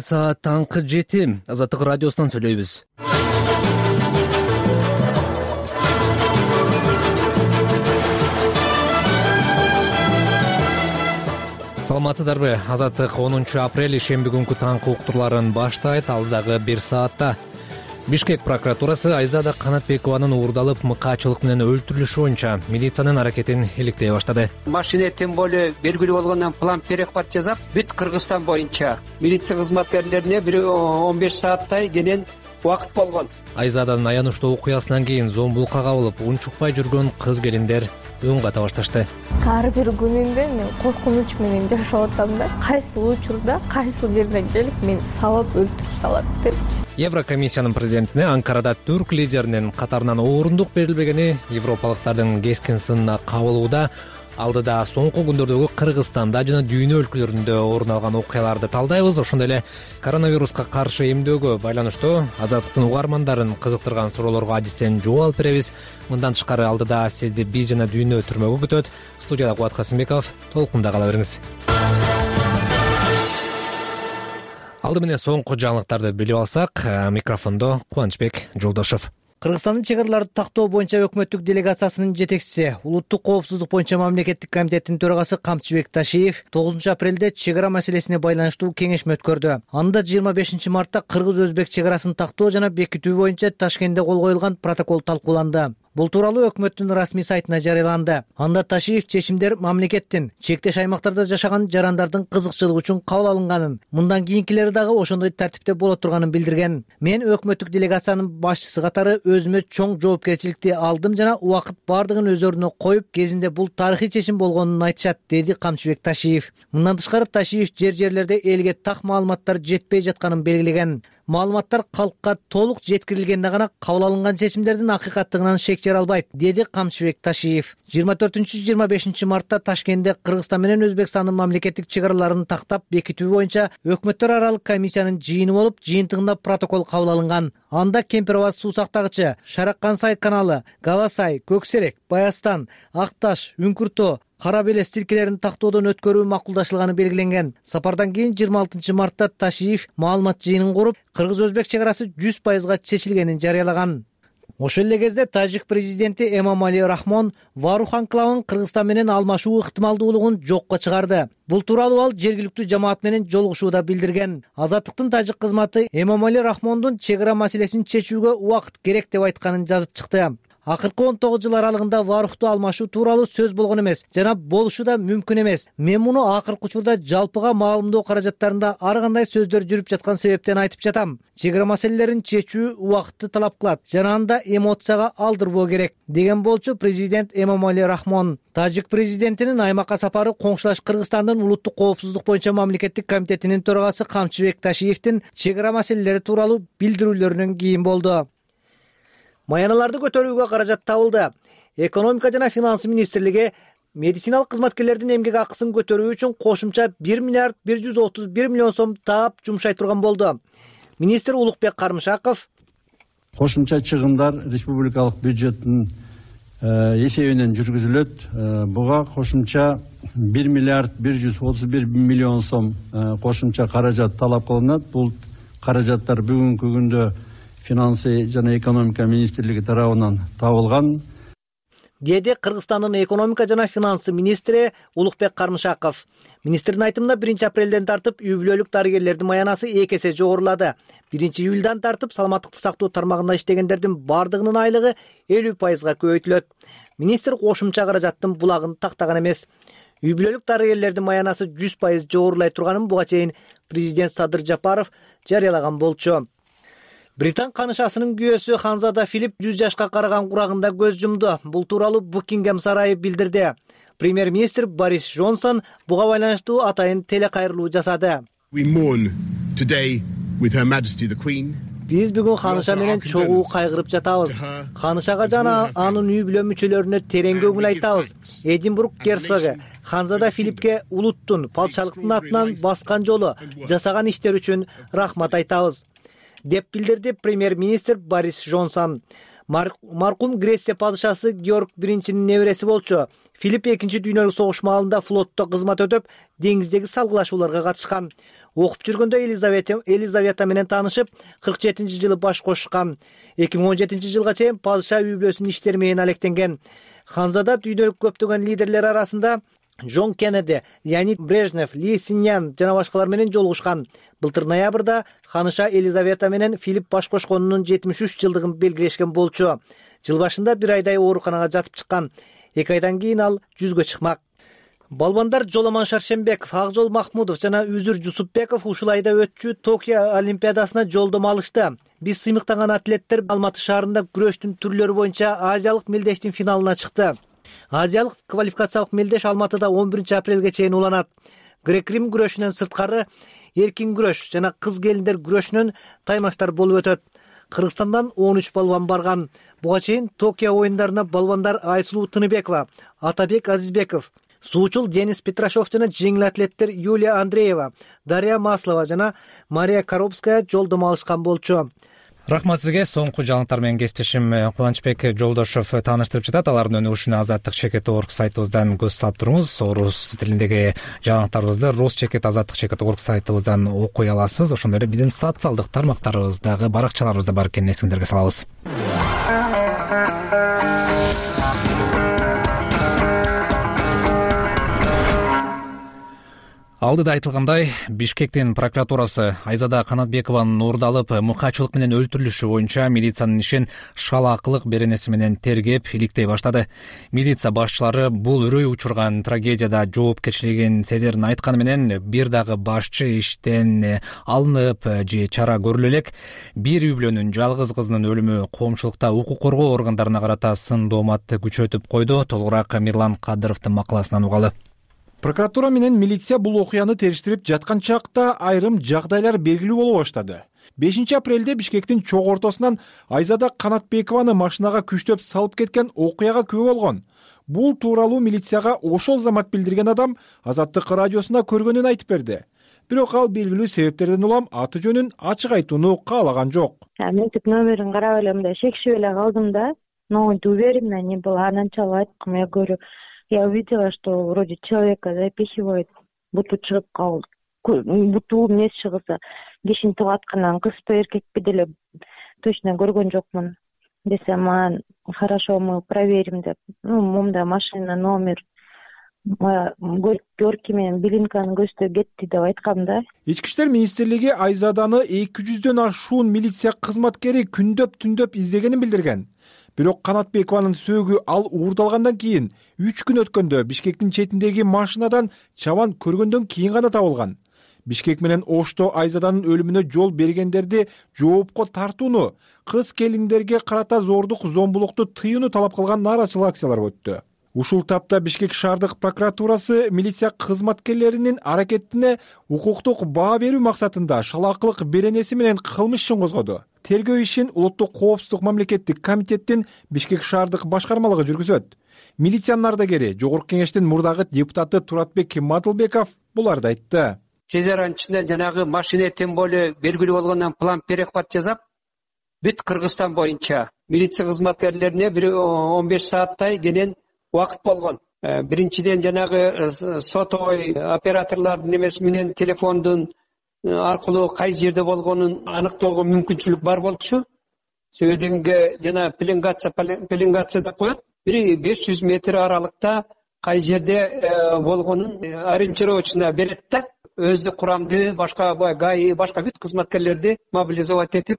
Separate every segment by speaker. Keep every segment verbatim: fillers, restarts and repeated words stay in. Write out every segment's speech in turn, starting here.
Speaker 1: Саат таңкы жети. Азаттык радиосунан сүйлөйбүз. Саламатсыздарбы? Азаттык онунчу апрель шемби күнкү таңкы уктурларын баштайт. Алдагы бир саатта Бишкек прокуратурасы Айзада Канатбекованын уурдалып мыкаачылык менен өлтүрүлүшү боюнча милициянын аракетин иликтей баштады.
Speaker 2: Машина тем более белгилүү болгондон план перехват жасап, бүт Кыргызстан боюнча милиция кызматкерлерине бир он беш сааттай кенен убакыт болгон.
Speaker 1: Айзаданын аянычтуу окуясынан кийин зомбулукка кабылып, унчукпай жүргөн кыз келиндер үн ката башташты.
Speaker 3: Ар бир күнүмдө мен коркунуч менен жашап атам да, кайсы учурда, кайсы жерден келип мени салып өлтүрүп салат депчи.
Speaker 1: Еврокомиссиянын президентине Анкарада түрк лидеринин катарынан орындук берилбегени европалыктардын кескин сынына кабылууда. Алдыда соңку күндөрдөгү Кыргызстанда жана дүйнө өлкөлөрүндө орун алган окуяларды талдайбыз. Ошондой эле коронавируска каршы эмдөөгө байланыштуу Азаттыктын угармандарын кызыктырган суроолорго адистен жооп алып беребиз. Мындан тышкары алдыда сизди биз жана дүйнө түрмөгө күтөт. Студияда Кубат Касымбеков, толкунда кала бериңиз. Алды менен соңку жаңылыктарды билип алсак, микрофондо Кубанычбек Жолдошов. Кыргызстандын чек араларды тактоо боюнча өкмөттүк делегациясынын жетекчиси, улуттук коопсуздук боюнча мамлекеттик комитеттин төрагасы Камчыбек Ташиев тогузунчу апрелде чек ара маселесине байланыштуу кеңешме өткөрдү. Анда жыйырма бешинчи мартта кыргыз-өзбек чек арасын тактоо жана бекитүү боюнча Ташкентте кол коюлган протокол талкууланды. Бул тууралуу өкмөттүн расмий сайтына жарыяланды. Анда Ташиев чечимдер мамлекеттин чектеш аймактарда жашаган жарандардын кызыкчылыгы үчүн кабыл алынганын, мындан кийинкилери дагы ошондой тартипте боло турганын билдирген. Мен өкмөттүк делегациянын башчысы катары өзүмө чоң жоопкерчиликти алдым жана убакыт бардыгын өзөрүнө коюп, кезинде бул тарыхый чечим болгонун айтышат, деди Камчыбек Ташиев. Мындан тышкары Ташиев жер-жерлерде элге так маалыматтар жетпей жатканын белгилеген. Маалыматтар калкка толук жеткирилгенде гана кабыл алынган чечимдердин акыйкаттыгынан шек жара албайт, деди Камчыбек Ташиев. жыйырма төртүнчү жыйырма бешинчи мартта Ташкентте Кыргызстан менен Өзбекстандын мамлекеттик чек араларын тактап бекитүү боюнча өкмөттөр аралык комиссиянын жыйыны болуп, жыйынтыгында протокол кабыл алынган. Анда Кемпир-Абад суу сактагычы, Шараккан-Сай каналы, Гава-Сай, Көксерек, Баястан, Акташ, Үңкүртөө, Кара Белес тилкелерин тактоодон өткөрүү макулдашылганы белгиленген. Сапардан кийин жыйырма алтынчы мартта Ташиев маалымат жыйынын куруп, кыргыз-өзбек чек арасы жүз пайызга чечилгенин жарыялаган. Ошол эле кезде тажик президенти Эмомали Рахмон Варух анклавын Кыргызстан менен алмашуу ыктымалдуулугун жокко чыгарды. Бул тууралуу ал жергиликтүү жамаат менен жолугушууда билдирген. Азаттыктын тажик кызматы Эмомали Рахмондун чек ара маселесин чечүүгө убакыт керек деп айтканын жазып чыкты. Акыркы он тогуз жыл аралыгында Варухту алмашуу тууралуу сөз болгон эмес жана болушу да мүмкүн эмес. Мен муну акыркы учурда жалпыга маалымдоо каражаттарында ар кандай сөздөр жүрүп жаткан себептен айтып жатам. Чек ара маселелерин чечүү убакытты талап кылат жана анда эмоцияга алдырбоо керек, деген болчу президент Эмомали Рахмон. Тажик президентинин аймакка сапары коңшулаш Кыргызстандын улуттук коопсуздук боюнча мамлекеттик комитетинин төрагасы Камчыбек Ташиевдин чек ара маселелери тууралуу билдирүүлөрүнөн кийин болду. Маяналарды көтөрүүгө каражат табылды. Экономика жана финансы министрлиги медициналык кызматкерлердин эмгек акысын көтөрүү үчүн кошумча бир миллиард бир жүз отуз бир миллион сом таап жумшай турган болду. Министр Улукбек Кармышаков
Speaker 4: кошумча чыгымдар республикалык бюджеттин эсебинен жүргүзүлөт. Буга кошумча бир миллиард бир жүз отуз бир миллион сом кошумча каражат талап кылынат. Бул каражаттар бүгүнкү күндө финансы жана экономика министрлиги тарабынан табылган,
Speaker 1: деди Кыргызстандын экономика жана финансы министри Улукбек Кармышаков. Министрдин айтымында биринчи апрелден тартып үй бүлөлүк дарыгерлердин маянасы эки эсе жогорулады. биринчи июлдан тартып саламаттыкты сактоо тармагында иштегендердин бардыгынын айлыгы элүү пайызга көбөйтүлөт. Министр кошумча каражаттын булагын тактаган эмес. Үй бүлөлүк дарыгерлердин маянасы жүз пайыз жогорулай турганын буга чейин президент Садыр Жапаров жарыялаган болчу. Британ канышасынын күйөөсү Ханзада Филипп жүз жашка караган курагында көз жумду. Бул тууралуу Букингем сарайы билдирди. Премьер-министр Борис Джонсон буга байланыштуу атайын телекайрылуу жасады. Биз бүгүн ханыша менен чогуу кайгырып жатабыз. Ханышага жана анын үй бүлө мүчөлөрүнө терең көңүл айтабыз. Эдинбург герцогу Ханзада Филиппке улуттун, патшалыктын атынан баскан жолу, жасаган иштер үчүн рахмат айтабыз, деп билдирди премьер-министр Борис Джонсон. Маркум Греция падышасы Георг биринчинин небереси болчу. Филипп экинчи дүйнөлүк согуш маалында флотто кызмат өтөп, деңиздеги салгылашууларга катышкан. окуп жүргөндө Елизавета Елизавета менен таанышып, кырк жетинчи жылы баш кошушкан. эки миң он жетинчи жылга чейин падыша үй бүлөсүнүн иштери менен алектенген. Ханзада дүйнөлүк көптөгөн лидерлер арасында Джон Кеннеди, Леонид Брежнев, Ли Синьян жана башкалар менен жолугушкан. Былтыр ноябрда ханыша Елизавета менен Филипп баш кошконунун жетимиш үч жылдыгын белгилешкен болчу. Жыл башында бир айдай ооруканага жатып чыккан. эки айдан кийин ал жүзгө чыкмак. Балбандар Жоломон Шаршембеков, Акжол Махмудов жана Үзүр Жусупбеков ушул айда өтчү Токио Олимпиадасына жолдомо алышты. Биз сыймыктанган атлеттер Алматы шаарында күрөштүн түрлөрү боюнча Азиялык мелдештин финалына чыкты. Азиялык квалификациялык мелдеш Алматыда он биринчи апрелге чейин уланат. Грек-Рим күрөшүнөн сырткары эркин күрөш жана кыз келиндер күрөшүнөн таймаштар болуп өтөт. Кыргызстандан он үч балбан барган. Буга чейин Токио оюндарына балбандар Айсулуу Тыныбекова, Атабек Азизбеков, суучул Денис Петрашов жана жеңил атлеттер Юлия Андреева, Дарья Маслова жана Мария Коробская жолдомо алышкан болчу. Рахмат сизге. Соңку жаңылыктар менен кесиптешим Кубанычбек Жолдошов тааныштырып жатат. Алардын өнүгүшүнө азаттык чекит орг сайтыбыздан көз салып туруңуз. Орус тилиндеги жаңылыктарыбызды Рус чекит азаттык чекит орг сайтыбыздан окуй аласыз. Ошондой эле биздин социалдык тармактарыбыздагы баракчаларыбызда бар экенин эсиңерге салабыз. Алдыда айтылгандай, Бишкектин прокуратурасы Айзада Канатбекованын уурдалып, мыкаачылык менен өлтүрүлүшү боюнча милициянын ишин шалаакылык беренеси менен тергеп, иликтей баштады. Милиция башчылары бул үрөй учурган трагедияда жоопкерчилигин сезерин айтканы менен, бир дагы башчы иштен алынып же чара көрүлө элек. Бир үй бүлөнүн жалгыз кызынын өлүмү коомчулукта укук коргоо органдарына карата сын дооматты күчөтүп койду. Толугураак Мирлан Кадыровдун макаласынан угалы.
Speaker 5: Прокуратура менен милиция бул окуяны териштирип жаткан чакта айрым жагдайлар белгилүү боло баштады. бешинчи апрелде Бишкектин чок ортосунан Айзада Канатбекованы машинага күчтөп салып кеткен окуяга күбө болгон. Бул тууралуу милицияга ошол замат билдирген адам Азаттык радиосуна көргөнүн айтып берди. Бирок ал белгилүү себептерден улам аты жөнүн ачык айтууну каалаган жок.
Speaker 6: Мен тип номерин карап эле мындай шекшип эле калдым да. Но уверена не была, она начала айткым, я говорю, я увидела, что вроде человека запихивает, буту чыгып калды. Буту эмес чыгса, кишинтип аткандан кызбы эркекпи деле точно көргөн жокмун. Десем, а хорошо, мы проверим деп. Ну, момда машина, номер, горки менен билинканы көздөй кетти деп айткам да.
Speaker 5: Ички иштер министрлиги Айзаданы эки жүздөн ашуун милиция кызматкери күндөп түндөп издегенин билдирген. Бирок Канатбекованын сөөгү ал уурдалгандан кийин үч күн өткөндө Бишкектин четиндеги машинадан чабан көргөндөн кийин гана табылган. Бишкек менен Ошто Айзаданын өлүмүнө жол бергендерди жоопко тартууну, кыз келиндерге карата зордук зомбулукту тыюуну талап кылган нааразычылык акциялары өттү. Ушул тапта Бишкек шаардык прокуратурасы милиция кызматкерлеринин аракетине укуктук баа берүү максатында шалаакылык беренеси менен кылмыш ишин козгоду. Тергөө ишин Улуттук коопсуздук мамлекеттик комитеттин Бишкек шаардык башкармалыгы жүргүзөт. Милициянын ардагери Жогорку кеңештин мурдагы депутаты Туратбек Мадылбеков буларды айтты.
Speaker 2: Сезаранын ичинде жанагы машина тем более белгилүү болгондон план перехват жасап, бүт Кыргызстан боюнча милиция кызматкерлерине бир он беш сааттай кенен убакыт болгон. Биринчиден жанагы сотовой операторлордун немеси менен телефондун аркылуу кай жерде болгонун аныктоого мүмкүнчүлүк бар болчу. Себеби дегенге жана пеленгация пеленгация деп коет. Бир беш жүз метр аралыкта кай жерде болгонун ориентировочно берет да. Өздүк курамды, башка ГАИ, башка бүт кызматкерлерди мобилизовать этип,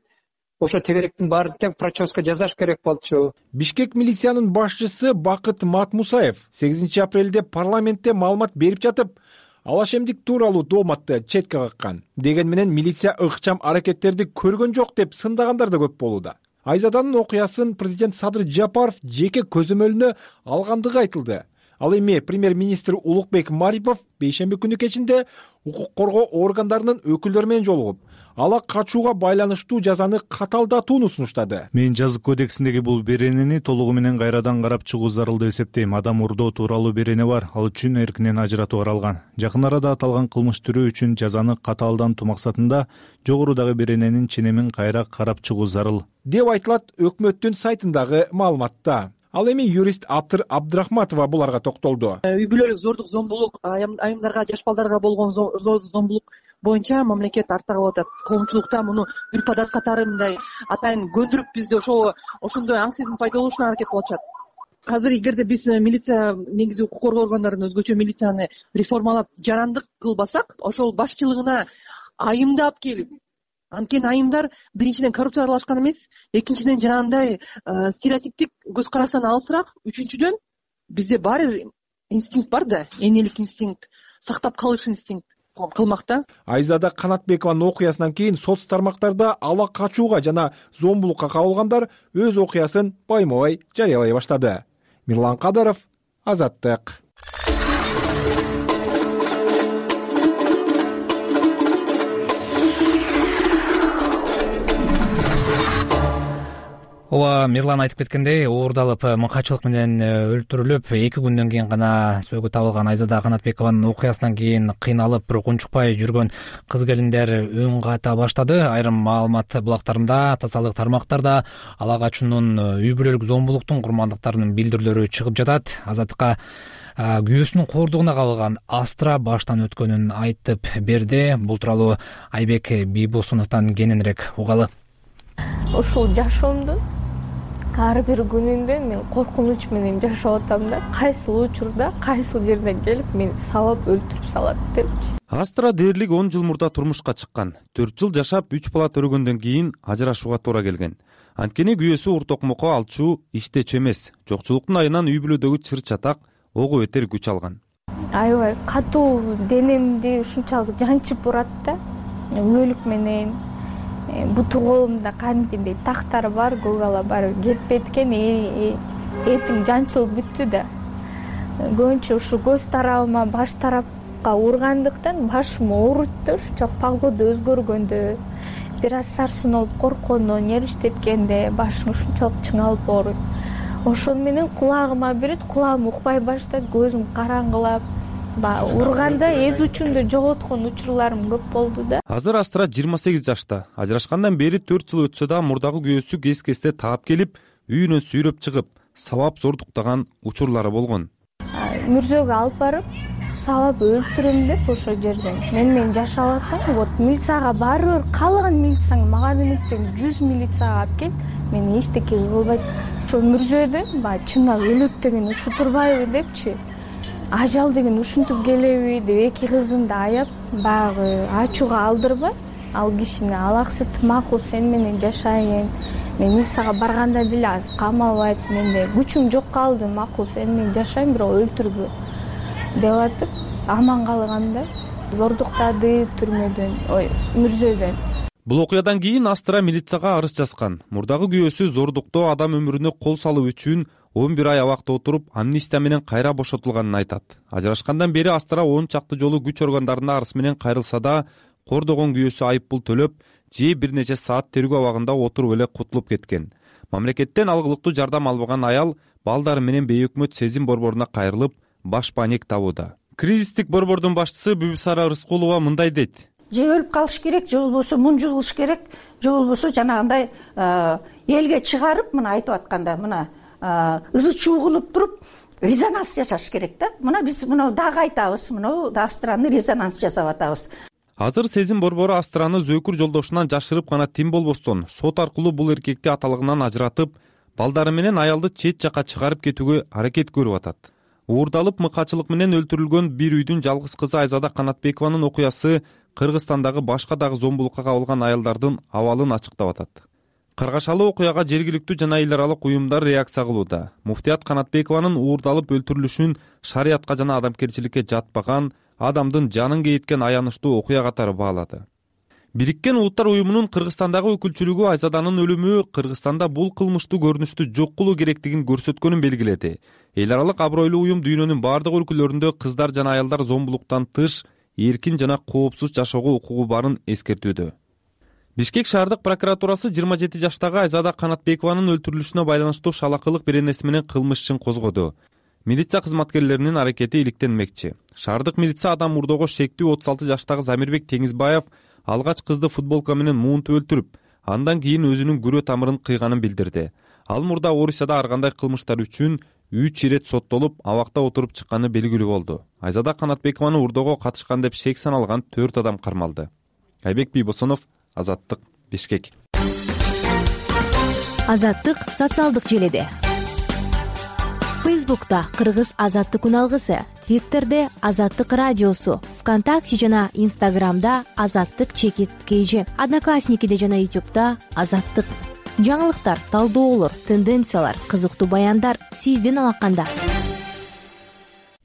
Speaker 2: ошо тегеректин баарын тең проческа жасаш керек болчу.
Speaker 5: Бишкек милициянын башчысы Бакыт Матмусаев сегизинчи апрелде парламентте маалымат берип жатып, алашемдик тууралуу дооматты четке каккан. Деген менен милиция ыкчам аракеттерди көргөн жок деп сындагандар да көп болууда. Айзаданын окуясын президент Садыр Жапаров жеке көзөмөлүнө алгандыгы айтылды. Ал эми премьер-министр Улукбек Марипов бейшемби күнү кечинде укук коргоо органдарынын өкүлдөрү менен жолугуп, ала качууга байланыштуу жазаны каталдатууну сунуштады.
Speaker 7: Мен жазык кодексиндеги бул беренени толугу менен кайрадан карап чыгуу зарыл деп эсептейм. Адам урдоо тууралуу берене бар, ал үчүн эркинен ажыратуу каралган. Жакын арада аталган кылмыш түрү үчүн жазаны катаалдантуу максатында жогорудагы берененин ченемин кайра карап чыгуу зарыл
Speaker 5: деп айтылат өкмөттүн сайтындагы маалыматта. Ал эми юрист Атыр Абдрахматова буларга токтолду.
Speaker 8: Үй бүлөлүк зордук зомбулук, айымдарга, жаш балдарга болгон зомбулук боюнча мамлекет артта калып атат. Коомчулукта муну бир подат катары мындай атайын көндүрүп бизди ошол ошондой аң сезим пайда болушуна аракет кылып атышат. Азыр эгерде биз милиция негизи укук коргоо органдарын өзгөчө милицияны реформалап жарандык кылбасак, ошол башчылыгына айымды алып келип, анткени айымдар биринчиден коррупция аралашкан эмес, экинчиден жанагындай стереотиптик көз караштан алысыраак, үчүнчүдөн бизде баары бир инстинкт бар да, энелик инстинкт, сактап калыш инстинкт кылмакта.
Speaker 5: Айзада Канатбекованын окуясынан кийин соц тармактарда ала качууга жана зомбулукка кабылгандар өз окуясын байма-бай жарыялай баштады. Мирлан Кадыров, Азаттык.
Speaker 1: Ооба, Мирлан айтып кеткендей, уурдалып мыкачылык менен өлтүрүлүп, эки күндөн кийин гана сөөгү табылган Айзада Канатбекованын окуясынан кийин кыйналып, бирок унчукпай жүргөн кыз келиндер үн ката баштады. Айрым маалымат булактарында, тазалык тармактарда ала качуунун, үй бүлөлүк зомбулуктун курмандыктарынын билдирүүлөрү чыгып жатат. Азаттыкка күйөөсүнүн кордугуна кабылган Астра баштан өткөнүн айтып берди. Бул тууралуу Айбек Бийбосуновдон кененирээк угалы.
Speaker 3: Ушул жашоомдун ар бир күнүндө мен коркунуч менен жашап атам да. Кайсыл учурда, кайсыл жерден келип мени сабап өлтүрүп салат депчи.
Speaker 9: Астра дээрлик он жыл мурда турмушка чыккан. төрт жыл жашап, үч бала төрөгөндөн кийин ажырашууга туура келген. Анткени күйөөсү уртокмокко алчу, иштечү эмес. Жокчулуктун айынан үй бүлөдөгү чыр-чатак ого бетер күч алган.
Speaker 3: Аябай катуу денемди ушунчалык жанчып урат да. Өлүк менен буту колумда кадимкидей тактар бар, көгала бар, кетпейт экен, этим жанчылып бүттү да. Көбүнчө ушу көз тарабыма, баш тарапка ургандыктан башым ооруйт да, ушунчалык погода өзгөргөндө, бир аз сарсын болуп корккондо, нервиштеткенде башым ушунчалык чыңалып ооруйт. Ошону менен кулагыма берет, кулагым укпай баштайт, көзүм караңгылап, урганда эз учумду жоготкон учурларым көп болду да.
Speaker 9: Азыр Астра жыйырма сегиз жашта. Ажырашкандан бери төрт жыл өтсө да мурдагы күйөөсү кес-кесте таап келип, үйүнөн сүйрөп чыгып, сабап зордуктаган учурлары болгон.
Speaker 3: Мүрзөгө алып барып, сабап өлтүрөм деп ошол жерден. Мен менен жашабасаң, вот милицияга баары бир каалаган милицияң мага демектен жүз милицияга алып кел, мен эчтеке кылбайт. Ошол мүрзөдөн баягы чындап өлөт деген ушу турбайбы депчи. Ажал деген ушинтип келеби деп эки кызымды аяп, баягы ачууга алдырбай, ал кишини алаксыт, макул сен менен жашайын. Мен милицияга барганда деле азыр камалбайт, менде күчүм жок калды, макул сен менен жашайм, бирок өлтүрбө деп атып, аман калганда зордуктады түрмөдөн, ой, мүрзөдөн.
Speaker 9: Бул окуядан кийин Астра милицияга арыз жазган. Мурдагы күйөөсү зордуктоо, адам өмүрүнө кол салуу үчүн он бир ай абакта отуруп, амнистия менен кайра бошотулганын айтат. Ажырашкандан бери Астра он чакты жолу күч органдарына арыз менен кайрылса да, кордогон күйөөсү айып пул төлөп, же бир нече саат тергөө абагында отуруп эле кутулуп кеткен. Мамлекеттен алгылыктуу жардам албаган аял балдары менен бейөкмөт сезим борборуна кайрылып, баш паник табууда. Кризистик борбордун башчысы Бүбүсара Рыскулова мындай дейт.
Speaker 10: Же өлүп калыш керек, же болбосо мунжу кылыш керек, же болбосо жанагындай элге чыгарып, мына айтып атканда, мына ызы чуу кылып туруп, резонанс жасаш керек да. Мына биз мына дагы айтабыз, мына Астраны резонанс жасап атабыз.
Speaker 9: Азыр сезим борбору Астраны зөөкүр жолдошунан жашырып гана тим болбостон, сот аркылуу бул эркекти аталыгынан ажыратып, балдары менен аялды чет жака чыгарып кетүүгө аракет көрүп атат. Уурдалып мыкачылык менен өлтүрүлгөн бир үйдүн жалгыз кызы Айзада Канатбекованын окуясы Кыргызстандагы башка дагы зомбулукка кабылган аялдардын абалын ачыктап атат. Каргашалуу окуяга жергиликтүү жана эл аралык уюмдар реакция кылууда. Муфтият Канатбекованын уурдалып өлтүрүлүшүн шариятка жана адамгерчиликке жатпаган, адамдын жанын кейиткен аянычтуу окуя катары баалады. Бириккен Улуттар уюмунун Кыргызстандагы өкүлчүлүгү Айзаданын өлүмү Кыргызстанда бул кылмыштуу көрүнүштү жок кылуу керектигин көрсөткөнүн белгиледи. Эл аралык абройлуу уюм дүйнөнүн бардык өлкөлөрүндө кыздар жана аялдар зомбулуктан тыш эркин жана коопсуз жашоого укугу барын эскертүүдө. Бишкек шаардык прокуратурасы жыйырма жети жаштагы Айзада Канатбекованын өлтүрүлүшүнө байланыштуу шалакылык беренеси менен кылмыш ишин козгоду. Милиция кызматкерлеринин аракети иликтенмекчи. Шаардык милиция адам мурдого шектүү отуз алты жаштагы Замирбек Теңизбаев алгач кызды футболка менен муунтуп өлтүрүп, андан кийин өзүнүн күрө тамырын кыйганын билдирди. Ал мурда Орусияда ар кандай кылмыштар үчүн үч ирет соттолуп абакта отуруп чыкканы белгилүү болду. Айзада Канатбекованы урдоого катышкан деп шек саналган төрт адам кармалды. Айбек Бийбосунов, Азаттык, Бишкек.
Speaker 11: Азаттык социалдык желеде. Фейсбукта Кыргыз Азаттык үналгысы, Твиттерде Азаттык радиосу, ВКонтакте жана Инстаграмда Азаттык чекит кейжи, Одноклассникиде жана Ютубта Азаттык. Жаңылыктар, талдоолор, тенденциялар, кызыктуу баяндар сиздин алаканда.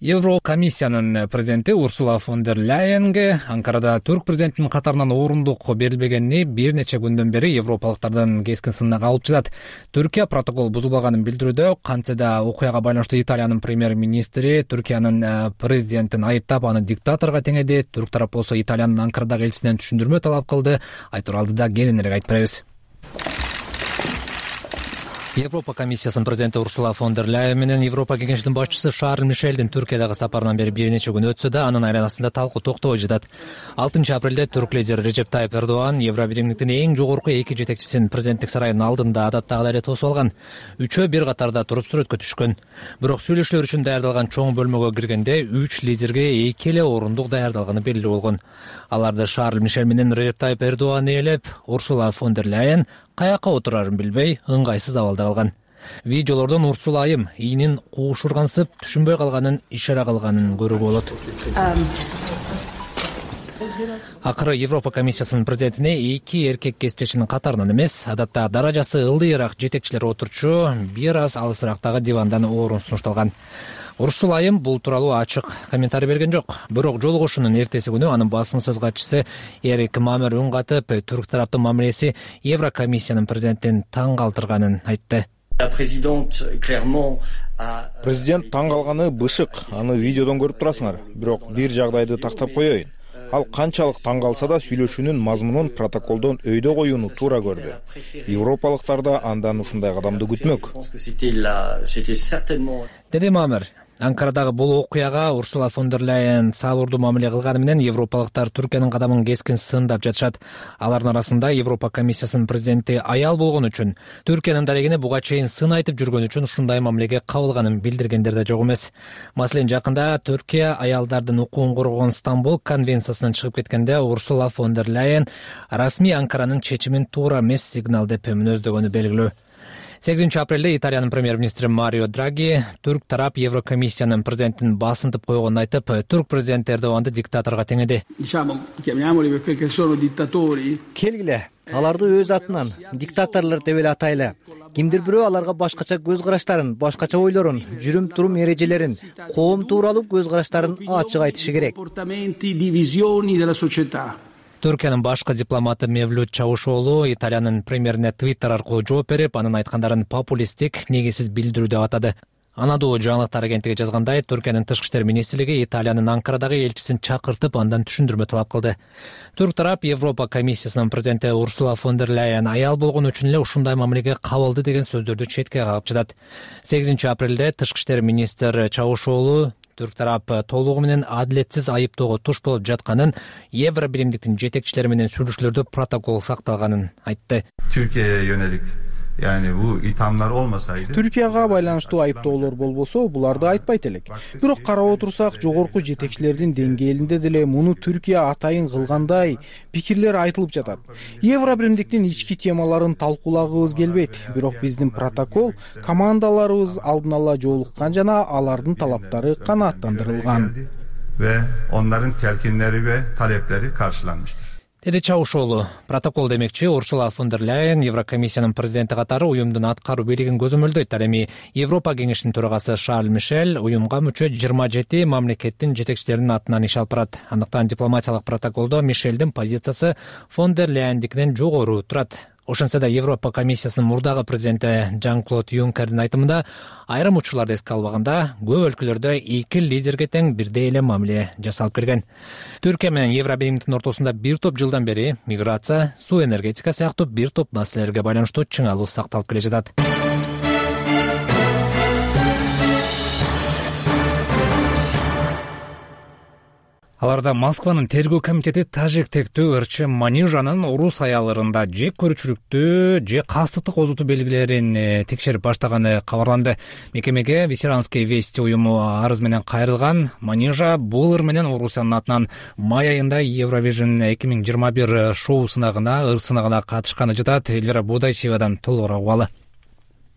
Speaker 1: Еврокомиссиянын президенти Урсула фон дер Ляйенге Анкарада түрк президентинин катарынан орундук берилбегени бир нече күндөн бери европалыктардын кескин сынына алып жатат. Түркия протокол бузулбаганын билдирүүдө, кантсе да окуяга байланыштуу Италиянын премьер-министри Түркиянын президентин айыптап, аны диктаторго теңеди. Түрк тарап болсо Италиянын Анкарадагы элчисинен түшүндүрмө талап кылды. Айтор алдыда кененирээк айтып беребиз. Европа комиссиясынын президенти Урсула фон дер Ляйен менен Европа кеңешинин башчысы Шарль Мишелдин Түркиядагы сапарынан бери бир нече күн өтсө да, анын айланасында талкуу токтобой жатат. алтынчы апрелде түрк лидери Режеп Тайып Эрдоган Евробиримдиктин эң жогорку эки жетекчисин президенттик сарайынын алдында адаттагыдай эле тосуп алган. Үчөө бир катарда туруп сүрөткө түшкөн. Бирок сүйлөшүүлөр үчүн даярдалган чоң бөлмөгө киргенде үч лидерге эки эле орундук даярдалганы белгилүү болгон. Аларды Шарль Мишель менен Режеп Тайып Эрдоган ээлеп, Урсула фон дер Ляйен каяка отурарын билбей ыңгайсыз абалда калган. Видеолордон Урсула айым ийинин куушургансып, түшүнбөй калганын, ишара кылганын көрүүгө болот. Акыры Европа комиссиясынын президентине эки эркек кесиптешинин катарынан эмес, адатта даражасы ылдыйраак жетекчилер отурчу бир аз алысыраактагы дивандан орун сунушталган. Урсула айым бул тууралуу ачык комментарий берген жок. Бирок жолугушуунун эртеси күнү анын басма сөз катчысы Эрик Мамер үн катып, түрк тараптын мамилеси Еврокомиссиянын президентин таң калтырганын айтты.
Speaker 5: Президент таң калганы бышык, аны видеодон көрүп турасыңар. Бирок бир жагдайды тактап коеюн. Ал канчалык таң калса да сүйлөшүүнүн мазмунун протоколдон өйдө коюуну туура көрдү. Европалыктар да андан ушундай кадамды күтмөк.
Speaker 1: Деди Мамер. Анкарадагы бул окуяга Урсула фон дер Ляйен сабырдуу мамиле кылганы менен европалыктар Түркиянын кадамын кескин сындап жатышат. Алардын арасында Европа комиссиясынын президенти аял болгон үчүн, Түркиянын дарегине буга чейин сын айтып жүргөн үчүн ушундай мамилеге кабылганын билдиргендер да жок эмес. Маселен, жакында Түркия аялдардын укугун коргогон Стамбул конвенциясынан чыгып кеткенде Урсула фон дер Ляйен расмий Анкаранын чечимин туура эмес сигнал деп мүнөздөгөнү белгилүү. сегизинчи апрелде Италиянын премьер-министри Марио Драги түрк тарап Еврокомиссиянын президентин басынтып койгонун айтып, түрк президенти Эрдоганды диктаторго теңеди. Келгиле, аларды өз атынан диктаторлор деп эле атайлы. Кимдир бирөө аларга башкача көз караштарын, башкача ойлорун, жүрүм-турум эрежелерин, коом тууралуу көз караштарын ачык айтышы керек. Түркиянын башкы дипломаты Мевлют Чавушоğlu Италиянын премьерине Твиттер аркылуу жооп берип, анын айткандарын популисттик, негизсиз билдирүү деп атады. Анадолу жаңылыктар агенттиги жазгандай, Түркиянын тышкы иштер министрлиги Италиянын Анкарадагы элчисин чакыртып, андан түшүндүрмө талап кылды. Түрк тарап Европа комиссиясынын президенти Урсула фон дер Ляйен аял болгон үчүн эле ушундай мамилеге кабылды деген сөздөрдү четке кагып жатат. сегизинчи апрелде тышкы иштер министри Чавушоğlu түрк тарап толугу менен адилетсиз айыптоого туш болуп жатканын, Евробиримдиктин жетекчилери менен сүйлөшүүлөрдө протокол сакталганын айтты.
Speaker 12: Türkiye'ye yönelik yani bu ithamlar olmasaydı
Speaker 5: Türkiye'ga байланыштуу айыптоолор болбосо, буларды айтпайт элек. Бирок карап отурсак, жогорку жетекчилердин деңгээлинде деле муну Түркия атайын кылгандай пикирлер айтылып жатат. Евробиримдиктин ички темаларын талкуулагыбыз келбейт. Бирок биздин протокол командаларыбыз алдын ала жолуккан жана алардын талаптары канааттандырылган.
Speaker 12: Ve onların telkinleri ve talepleri karşılanmıştır.
Speaker 1: Деди Чавушоğlu. Протокол демекчи, Урсула фон дер Ляйен Еврокомиссиянын президенти катары уюмдун аткаруу бийлигин көзөмөлдөйт. Ал эми Европа кеңешинин төрагасы Шарль Мишель уюмга мүчө жыйырма жети мамлекеттин жетекчилеринин атынан иш алып барат. Андыктан дипломатиялык протоколдо Мишелдин позициясы фон дер Ляйендикинен жогору турат. Ошентсе да Европа комиссиясынын мурдагы президенти Жан-Клод Юнкердин айтымында, айрым учурларды эске албаганда, көп өлкөлөрдө эки лидерге тең бирдей эле мамиле жасалып келген. Түркия менен Евробиримдиктин ортосунда бир топ жылдан бери миграция, суу энергетика сыяктуу бир топ маселелерге байланыштуу чыңалуу сакталып келе жатат. Аларда Москванын тергөө комитети тажик тектүү ырчы Манижанын Орус аялдарында же көрүүчүлүктү же кастыктык озутуу белгилерин текшерип баштаганы кабарланды. Мекемеге Ветеранские вести уюму арыз менен кайрылган. Манижа бул ыр менен Орусиянын атынан май айында Евровижн эки миң жыйырма бир шоу сынагына ыр сынагына катышканы жатат. Элвира Бодайчиевадан толугураак угалы.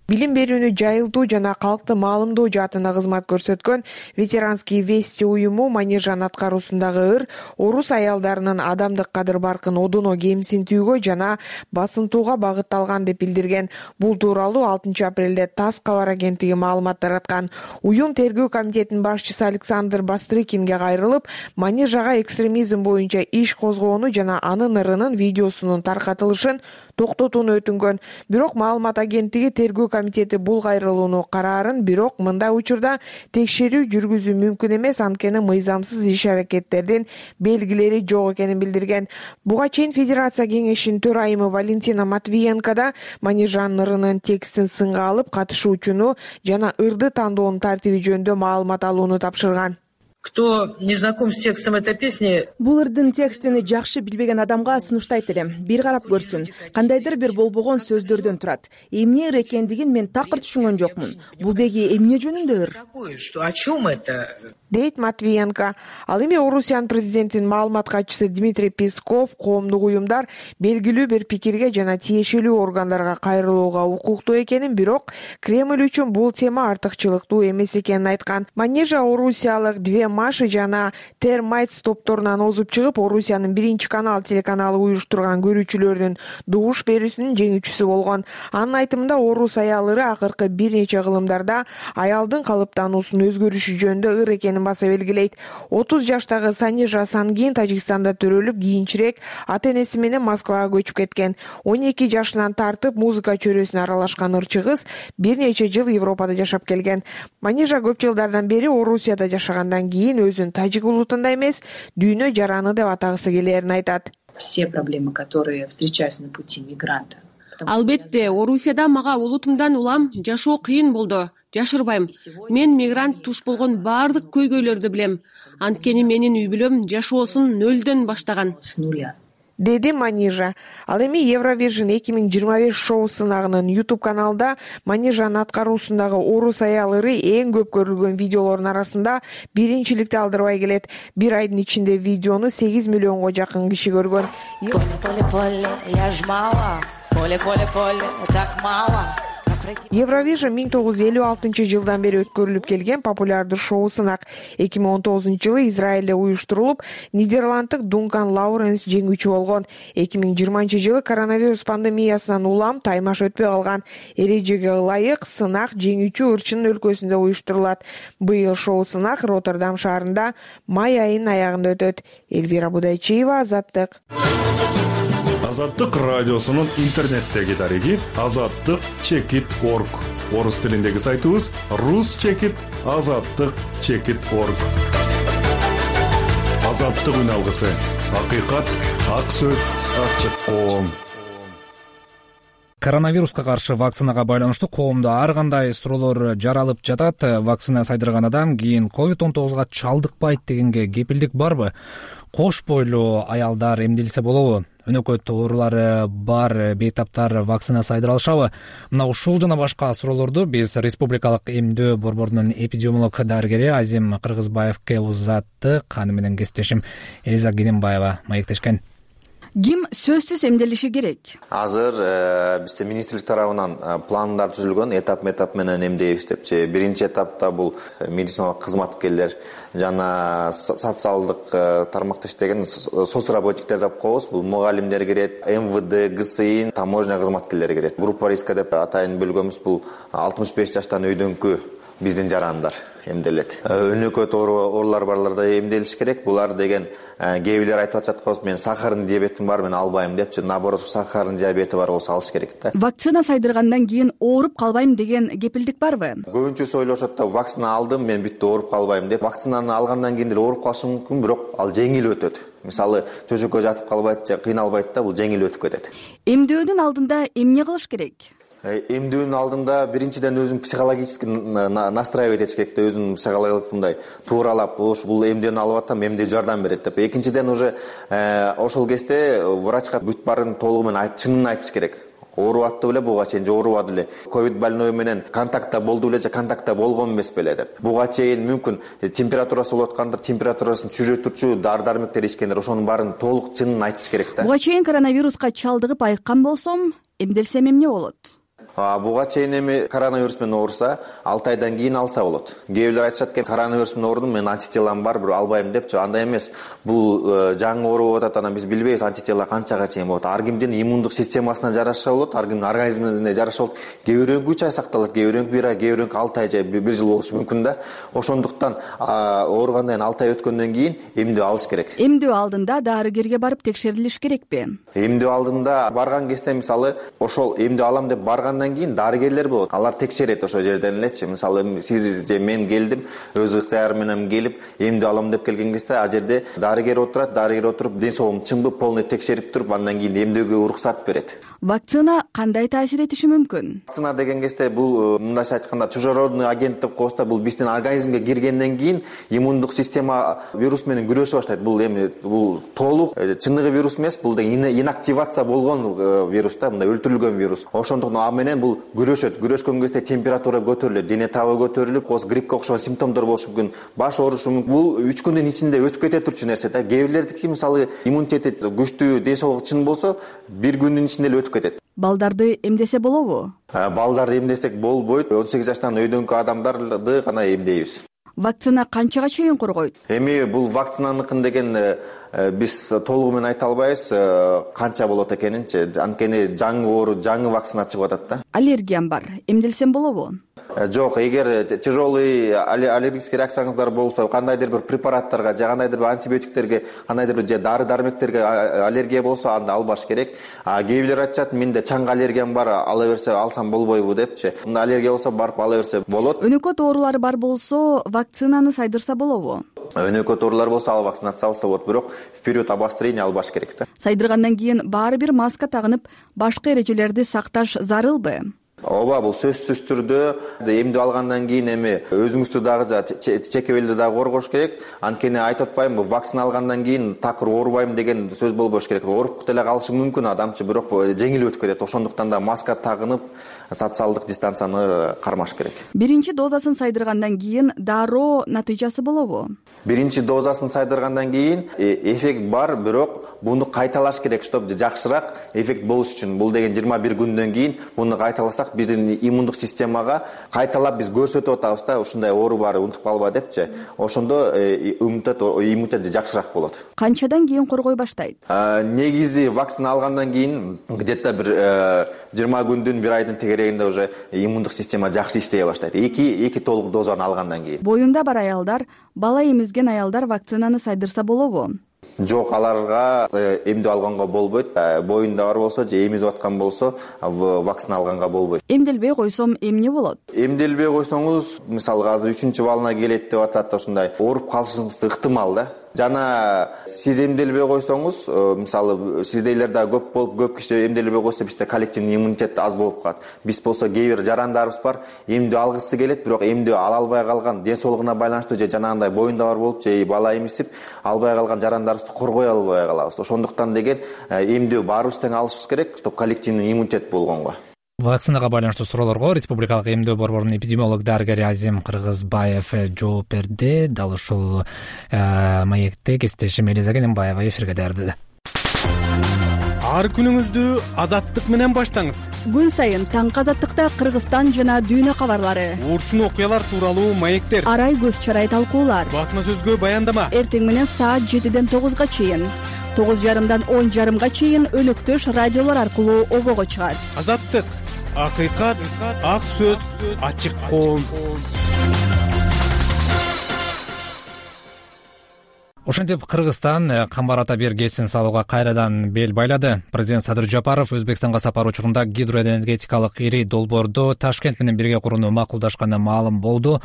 Speaker 13: Билим берүүнү жайылтуу жана калкты маалымдоо жаатында кызмат көрсөткөн Ветеранские вести уюму Манижан аткаруусундагы ыр орус аялдарынын адамдык кадыр-баркын одоно кемсинтүүгө жана басынтууга багытталган деп билдирген. Бул тууралуу алтынчы апрелде ТАСС кабар агенттиги маалымат тараткан. Уюм тергөө комитетинин башчысы Александр Бастрыкинге кайрылып, Манижага экстремизм боюнча иш козгоону жана анын ырынын видеосунун таркатылышын токтотууну өтүнгөн. Бирок маалымат агенттиги тергөө комитети бул кайрылууну караарын, бирок мындай учурда текшерүү жүргүзүү мүмкүн эмес, анткени мыйзамсыз иш-аракеттердин белгилери жок экенин билдирген. Буга чейин Федерация кеңешинин төрайымы Валентина Матвиенко да Манижанын ырынын текстин сынга алып, катышуучуну жана ырды тандоонун тартиби жөнүндө маалымат алууну тапшырган.
Speaker 14: Кто не знаком с текстом этой песни,
Speaker 15: бул ырдын текстин жакшы билбеген адамга сунуштайт элем. Бир карап көрсүн. Кандайдыр бир болбогон сөздөрдөн турат. Эмне ыр экендигин мен такыр түшүнгөн жокмун. Бул деги эмне жөнүндө ыр?
Speaker 14: О чем это?
Speaker 13: Дейт Матвиенко. Ал эми Орусиянын президентинин маалымат катчысы Дмитрий Песков коомдук уюмдар белгилүү бир пикирге жана тиешелүү органдарга кайрылууга укуктуу экенин, бирок Кремль үчүн бул тема артыкчылыктуу эмес экенин айткан. Манижа орусиялык Две Маши жана Термайтс топторунан озуп чыгып, Орусиянын биринчи канал телеканалы уюштурган көрүүчүлөрдүн дугуш берүүсүнүн жеңүүчүсү болгон. Анын айтымында орус аял ыры акыркы бир нече кылымдарда аялдын калыптануусунун өзгөрүшү жөнүндө ыр экенин баса белгилейт. отуз жаштагы Санижа Сангин Тажикстанда төрөлүп, кийинчерээк ата-энеси менен Москвага көчүп кеткен. он эки жашынан тартып музыка чөйрөсүнө аралашкан ырчы кыз бир нече жыл Европада жашап келген. Манижа көп жылдардан бери Орусияда жашагандан кийин өзүн тажик улутунда эмес, дүйнө жараны деп атагысы келерин айтат.
Speaker 16: Все проблемы, которые встречаются на пути мигранта.
Speaker 17: Албетте, Орусияда мага улутумдан улам жашоо кыйын болду. Жашырбайм. Мен мигрант туш болгон баардык көйгөйлөрдү билем. Анткени менин үй бүлөм жашоосун нөлдөн баштаган.
Speaker 16: С нуля.
Speaker 13: Деди Манижа. Ал эми Евровижн эки миң жыйырма беш шоу сынагынын YouTube каналда Манижанын аткаруусундагы орус аял ыры эң көп көрүлгөн видеолордун арасында биринчиликти алдырбай келет. Бир айдын ичинде видеону сегиз миллионго жакын киши көргөн. Евровижн миң тогуз жүз элүү алтынчы жылдан бери өткөрүлүп келген популярдуу шоу сынак. эки миң он тогузунчу жылы Израилде уюштурулуп, Нидерланддык Дункан Лауренс жеңүүчү болгон. эки миң жыйырманчы жылы коронавирус пандемиясынан улам таймаш өтпөй калган. Эрежеге ылайык сынак жеңүүчү ырчынын өлкөсүндө уюштурулат. Быйыл шоу сынак Роттердам шаарында май айынын аягында өтөт. Элвира Будайчиева, Азаттык.
Speaker 18: Азаттык радиосунун интернеттеги дареги азаттык чекит точка орг. Орус тилиндеги сайтыбыз рус чекит азаттык чекит точка орг. Азаттык үн алгысы. Акыйкат, ак сөз, ачык коом.
Speaker 1: Коронавируска каршы вакцинага байланыштуу коомдо ар кандай суроолор жаралып жатат. Вакцина сайдырган адам кийин ковид он тогузга чалдыкпайт дегенге кепилдик барбы? Кош бойлуу аялдар эмделсе болобу? Өнөкөт оорулары бар бейтаптар вакцина сайдыра алышабы? Мына ушул жана башка суроолорду биз Республикалык эмдөө борборунун эпидемиолог дарыгери Азим Кыргызбаевге узаттык. Аны менен кесиптешим Элиза Генембаева маектешкен.
Speaker 15: Ким сөзсүз эмделиши керек?
Speaker 19: Азыр бизде министрлик тарабынан пландар түзүлгөн, этап-этап менен эмдейбиз депчи. Биринчи этапта бул медициналык кызматкерлер жана социалдык тармакта иштеген соцработниктер деп коебуз. Бул мугалимдер кирет, эм вэ дэ, гэ эс и, таможня кызматкерлери кирет. Группа риска деп атайын бөлгөнбүз. Бул алтымыш беш жаштан өйдөнкү биздин жарандар эмделет. Өнөкөт оорулар барларда эмделиш керек. Булар деген кээ бирлер айтып атышат, мен сахарный диабетим бар, мен албайм депчи. Наоборот, сахарный диабети бар болсо алыш керек да.
Speaker 15: Вакцина сайдыргандан кийин ооруп калбайм деген кепилдик барбы?
Speaker 19: Көбүнчөсү ойлошот да, вакцина алдым, мен бүттү ооруп калбайм деп. Вакцинаны алгандан кийин деле ооруп калышы мүмкүн, бирок ал жеңил өтөт. Мисалы, төшөккө жатып калбайт же кыйналбайт да, бул жеңил өтүп кетет.
Speaker 15: Эмдөөнүн алдында эмне кылыш керек?
Speaker 19: эмдөөнүн алдында биринчиден өзүн психологически настраивать этиш керек да, өзүн психологиялык мындай тууралап, бул эмдөөөнү алып атам, эмне жардам берет деп. Экинчиден уже ошол кезде врачка бүт баарын толугу менен чынын айтыш керек. Оорубап атты беле буга чейин же оорубады беле, ковид больной менен контактта болду беле же контактта болгон эмес беле деп. Буга чейин мүмкүн температурасы болуп аткандыр, температурасын түшүрүп дары-дармектер ичкендер, ошонун баарын толук чынын айтыш керек да.
Speaker 20: Буга чейин коронавируска чалдыгып айыккан болсом, эмделсем эмне болот?
Speaker 19: Буга чейин эми коронавирус менен ооруса, алты айдан кийин алса болот. Кээ бирлер айтышат экен, коронавирус менен оорудум, мен антителам бар, бирок албайм депчи. Андай эмес. Бул жаңы оору болуп атат, анан биз билбейбиз антитела канчага чейин болот. Ар кимдин иммундук системасына жараша болот, ар кимдин организмине жараша болот. Кээ бирөөнүкү үч ай сакталат, кээ бирөөнүкү бир ай, кээ бирөөнүкү алты ай же бир жыл болушу мүмкүн да. Ошондуктан ооругандан кийин алты ай өткөндөн кийин эмдөө алыш керек.
Speaker 20: Эмдөө алдында дарыгерге барып текшерилиш керекпи?
Speaker 19: Эмдөө алдында барган кезде мисалы ошол эмдөө алам деп баргандан кийин дарыгерлер болот. Алар текшерет ошол жерден элечи. Мисалы сиз же мен келдим, өз ыктыярым менен келип эмдөө алам деп келген кезде а жерде дарыгер отурат, дарыгер отуруп ден соолугум чынбы полный текшерип туруп, андан кийин эмдөөгө уруксат берет.
Speaker 20: Вакцина кандай таасир этиши мүмкүн?
Speaker 19: Вакцина деген кезде бул мындайча айтканда чужеродный агент деп коебуз да, бул биздин организмге киргенден кийин иммундук система вирус менен күрөшө баштайт. Бул эми бул толук чыныгы вирус эмес, бул инактивация болгон вирус да, мындай өлтүрүлгөн вирус. Ошондуктан а менен бул күрөшөт. Күрөшкөн кезде температура көтөрүлөт, дене табы көтөрүлүп, коз гриппке окшогон симптомдор болушу мүмкүн, баш оорушу мүмкүн. Бул үч күндүн ичинде өтүп кете турчу нерсе да. Кээ бирлердики мисалы иммунитети күчтүү, ден соолугу чын болсо, бир күндүн ичинде эле өтүп кетет.
Speaker 20: Балдарды эмдесе болобу?
Speaker 19: Балдарды эмдесек болбойт. он сегиз жаштан өйдөнгү адамдарды гана эмдейбиз.
Speaker 20: Вакцина канчага чейин коргойт?
Speaker 19: Эми бул вакцинаныкын деген биз толугу менен айта албайбыз канча болот экенинчи. Анткени жаңы оору, жаңы вакцина чыгып атат да.
Speaker 20: Аллергиям бар. Эмделсем болобу?
Speaker 19: Жок, эгер тяжелый аллергический реакцияңыздар болсо, кандайдыр бир препараттарга же кандайдыр бир антибиотиктерге, кандайдыр бир же дары-дармектерге аллергия болсо, анда албаш керек. А кээ бирлер айтышат, менде чаңгы аллергиям бар, ала берсе алсам болбойбу депчи. Мында аллергия болсо, барып ала берсе болот.
Speaker 20: Өнөкөт оорулары бар болсо, вакцинаны сайдырса болобу?
Speaker 19: Өнөкөт оорулар болсо, ал вакцинация алса болот, бирок вперед обострение албаш керек да.
Speaker 20: Сайдыргандан кийин баары бир маска тагынып, башка эрежелерди сакташ зарылбы?
Speaker 19: Ооба, бул сөзсүз түрдө эмдөө алгандан кийин эми өзүңүздү дагы чекебелди дагы коргош керек. Анткени айтып атпаймынбы, вакцина алгандан кийин такыр оорубайм деген сөз болбош керек. Ооруп деле калышы мүмкүн адамчы, бирок жеңил өтүп кетет. Ошондуктан да маска тагынып, социалдык дистанцияны кармаш керек.
Speaker 20: Биринчи дозасын сайдыргандан кийин дароо натыйжасы болобу?
Speaker 19: Биринчи дозасын сайдыргандан кийин эффект бар, бирок буну кайталаш керек, чтобы жакшыраак эффект болуш үчүн. Бул деген жыйырма бир күндөн кийин буну кайталасак, биздин иммундук системага кайталап биз көрсөтүп атабыз да, ушундай оору бар, унутуп калба депчи. Ошондо иммунитет иммунитет жакшыраак болот.
Speaker 20: Канчадан кийин коргой баштайт?
Speaker 19: Негизи вакцина алгандан кийин где-то бир жыйырма күндүн, бир айдын тегерегинде уже иммундук система жакшы иштей баштайт. Эки эки толук дозаны алгандан кийин.
Speaker 20: Боюнда бар аялдар, бала эмизген аялдар вакцинаны сайдырса болобу?
Speaker 19: Жок, аларга эмдөө алганга болбойт. Боюнда бар болсо же эмизип аткан болсо, вакцина алганга болбойт.
Speaker 20: Эмделбей койсом эмне болот?
Speaker 19: Эмделбей койсоңуз, мисалы азыр үчүнчү балына келет деп атат, ушундай ооруп калышыңыз ыктымал да. Жана сиз эмделбей койсоңуз, мисалы сиздейлер да көп болуп, көп киши эмделбей койсо, бизде коллективный иммунитет аз болуп калат. Биз болсо кээ бир жарандарыбыз бар, эмдөө алгысы келет, бирок эмдөө ала албай калган, ден соолугуна байланыштуу же жанагындай боюнда бар болуп, же бала эмисип албай калган жарандарыбызды коргой албай калабыз. Ошондуктан деген эмдөө баарыбыз тең алышыбыз керек, чтобы коллективный иммунитет болгонго.
Speaker 1: Вакцинага байланыштуу суроолорго Республикалык эмдөө борборунун эпидемиолог дарыгери Азим Кыргызбаев жооп берди. Дал ушул маекте кесиптешим Элиза Кененбаева эфирге даярдады.
Speaker 21: Ар күнүңүздү Азаттык менен баштаңыз.
Speaker 20: Күн сайын таңкы Азаттыкта Кыргызстан жана дүйнө кабарлары,
Speaker 21: уурчун окуялар тууралуу маектер,
Speaker 20: арай көз чарай талкуулар,
Speaker 21: басма сөзгө баяндама.
Speaker 20: Эртең менен саат жетиден тогузга чейин, тогуз жарымдан он жарымга чейин өнөктөш радиолор аркылуу обого чыгат.
Speaker 21: Азаттык, акыйкат, ак сөз, ачык коом.
Speaker 1: Ошентип Кыргызстан камбар ата бир кесин салууга кайрадан бел байлады. Президент Садыр Жапаров Өзбекстанга сапар учурунда гидроэнергетикалык ири долбоорду Ташкент менен бирге курууну макулдашканы маалым болду.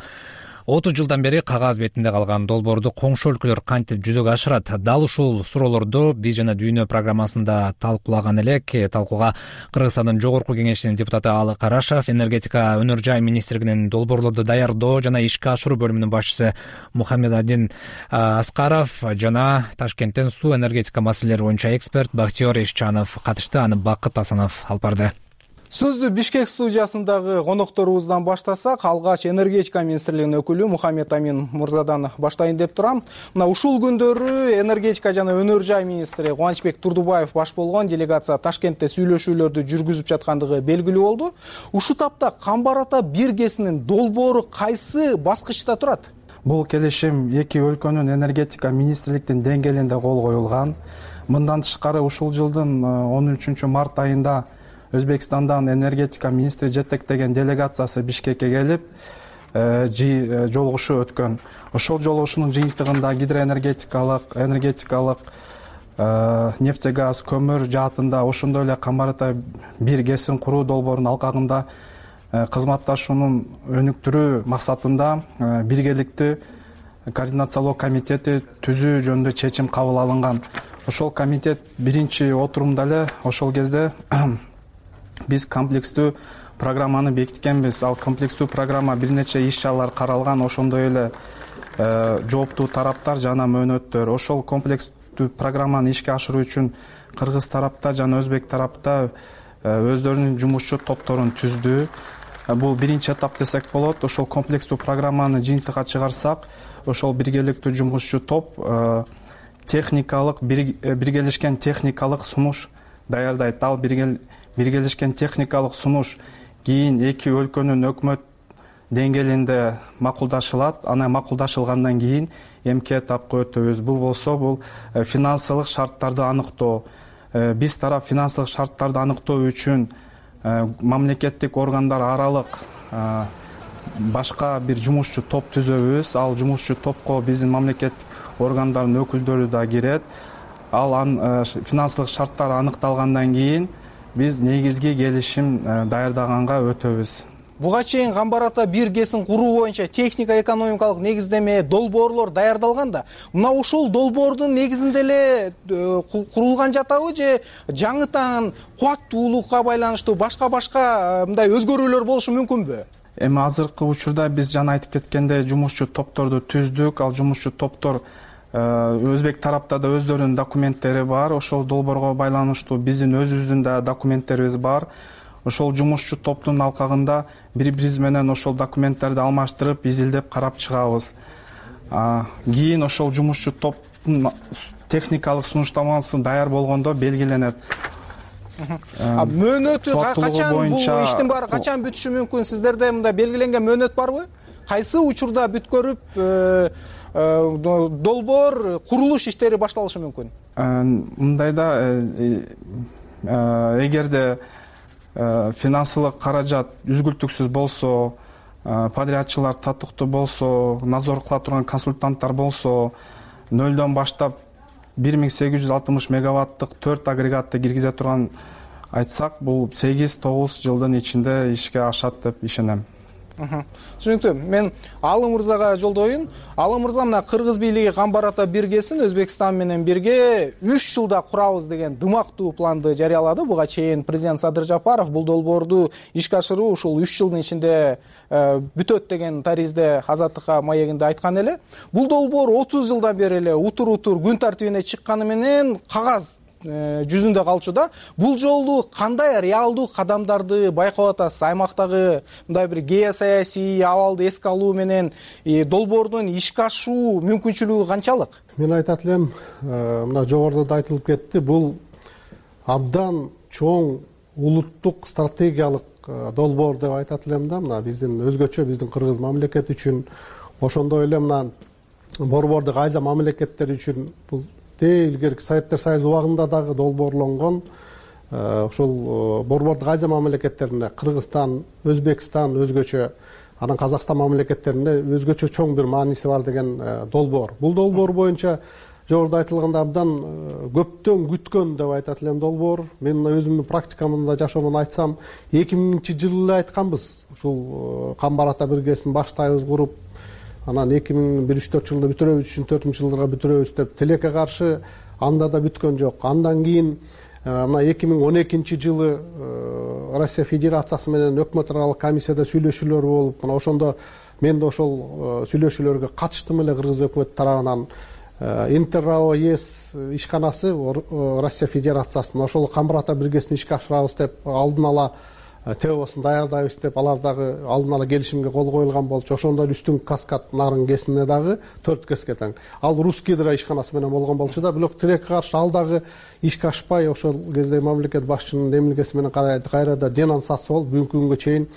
Speaker 1: отуз жылдан бери кагаз бетинде калган долбоорду коңшу өлкөлөр кантип жүзөгө ашырат? Дал ушул суроолорду биз жана Дүйнө программасында талкуулаган элек. Талкууга Кыргызстандын жогорку кеңешинин депутаты Алы Карашев, энергетика өнөр жай министрлигинин долбоорлорду даярдоо жана ишке ашыруу бөлүмүнүн башчысы Мухаммедадин Аскаров жана Ташкенттен суу энергетика маселелери боюнча эксперт Бактиер Ишчанов катышты. Аны Бакыт Асанов алып барды.
Speaker 5: Сөздү Бишкек студиясындагы конокторубуздан баштасак, алгач энергетика министрлигинин өкүлү Мухаммед Амин мырзадан баштайын деп турам. Мына ушул күндөрү энергетика жана өнөр жай министри Кубанычбек Турдубаев баш болгон делегация Ташкентте сүйлөшүүлөрдү жүргүзүп жаткандыгы белгилүү болду. Ушул тапта Камбар Ата бир ГЭСинин долбоору кайсы баскычта турат?
Speaker 4: Бул келишим эки өлкөнүн энергетика министрликтин деңгээлинде кол коюлган. Мындан тышкары ушул жылдын он үчүнчү март айында Өзбекстандан энергетика министри жетектеген делегациясы Бишкекке келип, жолугушуу өткөн. Ошол жолугушуунун жыйынтыгында гидроэнергетикалык, энергетикалык, нефтегаз, көмүр жаатында, ошондой эле Камбар Ата бир ГЭСин куруу долбоорунун алкагында кызматташуунун өнүктүрүү максатында биргеликтүү координациялоо комитети түзүү жөнүндө чечим кабыл алынган. Ошол комитет биринчи отурумда эле ошол кезде биз комплекстүү программаны бекиткенбиз. Ал комплекстүү программа бир нече иш-чаралар каралган, ошондой эле жооптуу тараптар жана мөөнөттөр. Ошол комплекстүү программаны ишке ашыруу үчүн кыргыз тарапта жана өзбек тарапта өздөрүнүн жумушчу топторун түздү. Бул биринчи этап десек болот. Ошол комплекстүү программаны жыйынтыкка чыгарсак, ошол биргеликтүү жумушчу топ техникалык биргелешкен техникалык сунуш даярдайт. Ал биргелешкен техникалык сунуш кийин эки өлкөнүн өкмөт деңгээлинде макулдашылат. Анан макулдашылгандан кийин эмки этапка өтөбүз. Бул болсо бул финансылык шарттарды аныктоо. Биз тарап финансылык шарттарды аныктоо үчүн мамлекеттик органдар аралык башка бир жумушчу топ түзөбүз. Ал жумушчу топко биздин мамлекеттик органдардын өкүлдөрү да кирет. Ал финансылык шарттар аныкталгандан кийин биз негизги келишим даярдаганга өтөбүз.
Speaker 5: Буга чейин Камбар Ата бир ГЭСин куруу боюнча техника экономикалык негиздеме, долбоорлор даярдалган да. Мына ушул долбоордун негизинде эле курулган жатабы же жаңытан кубаттуулукка байланыштуу башка-башка мындай өзгөрүүлөр болушу мүмкүнбү?
Speaker 4: Эми азыркы учурда биз жана айтып кеткендей жумушчу топторду түздүк. Ал жумушчу топтор өзбек тарапта да өздөрүнүн документтери бар. Ошол долбоорго байланыштуу биздин өзүбүздүн да документтерибиз бар. Ошол жумушчу топтун алкагында бири-бирибиз менен ошол документтерди алмаштырып, изилдеп карап чыгабыз. Кийин ошол жумушчу топтун техникалык сунуштамасы даяр болгондо белгиленет.
Speaker 5: Мөөнөтү качан бул иштин баары качан бүтүшү мүмкүн? Сиздерде мындай белгиленген мөөнөт барбы? Кайсы учурда бүткөрүп долбоор курулуш иштери башталышы мүмкүн?
Speaker 4: Мындайда эгерде финансылык каражат үзгүлтүксүз болсо, подрядчылар татыктуу болсо, назор кыла турган консультанттар болсо, нөлдөн баштап бир миң сегиз жүз алтымыш мегаваттык төрт агрегатты киргизе турган айтсак, бул сегиз тогуз жылдын ичинде ишке ашат деп ишенем.
Speaker 5: Түшүнүктүү. Мен Алы мырзага жолдоюн. Алы мырза, мына Кыргыз бийлиги Камбар Ата бир ГЭСин Өзбекстан менен бирге үч жылда курабыз деген дымактуу планды жарыялады. Буга чейин президент Садыр Жапаров бул долбоорду ишке ашыруу ушул үч жылдын ичинде бүтөт деген таризде Азаттыкка маегинде айткан эле. Бул долбоор отуз жылдан бери эле утур-утур күн тартибине чыкканы менен кагаз жүзүндө калчу да. Бул жолу кандай реалдуу кадамдарды байкап атасыз? Аймактагы мындай бир геосаясий абалды эске алуу менен долбоордун ишке ашуу мүмкүнчүлүгү канчалык?
Speaker 22: Мен айтат элем, мына жогоруда да айтылып кетти, бул абдан чоң улуттук стратегиялык долбоор деп айтат элем да. Мына биздин өзгөчө биздин Кыргыз мамлекети үчүн, ошондой эле мына борбордук айза мамлекеттер үчүн бул илгерки Советтер Союзу убагында дагы долбоорлонгон. Ошол борбордук Азия мамлекеттеринде Кыргызстан, Өзбекстан өзгөчө, анан Казакстан мамлекеттеринде өзгөчө чоң бир мааниси бар деген долбоор. Бул долбоор боюнча жогоруда айтылгандай абдан көптөн күткөн деп айтат элем долбоор. Мен өзүмдүн практикамда жашоомун айтсам, эки миңинчи жылы эле айтканбыз. Ушул Камбар Ата бир ГЭСин баштайбыз куруп, анан эки миң бир үч төрт жылда бүтүрөбүз, үч төртүнчү жылдарга бүтүрөбүз деп тилекке каршы анда да бүткөн жок. Андан кийин мына эки миң он экинчи жылы Россия Федерациясы менен өкмөт аралык комиссияда сүйлөшүүлөр болуп, мына ошондо мен да ошол сүйлөшүүлөргө катыштым эле. Кыргыз өкмөтү тарабынан Интеррао ЕС ишканасы Россия Федерациясынын ошол Камбар ата биргесин ишке ашырабыз деп алдын ала теосун даярдайбыз деп, алар дагы алдын ала келишимге кол коюлган болчу. Ошондон үстүн Каскад нарын кесине дагы төрт кеске тең. Ал Русский Гидро ишканасы менен болгон болчу да, бирок тилекке каршы ал дагы ишке ашпай, ошол кезде мамлекет башчынын эмилгеси менен кайрада денонсация болуп бүгүнкү күнгө чейин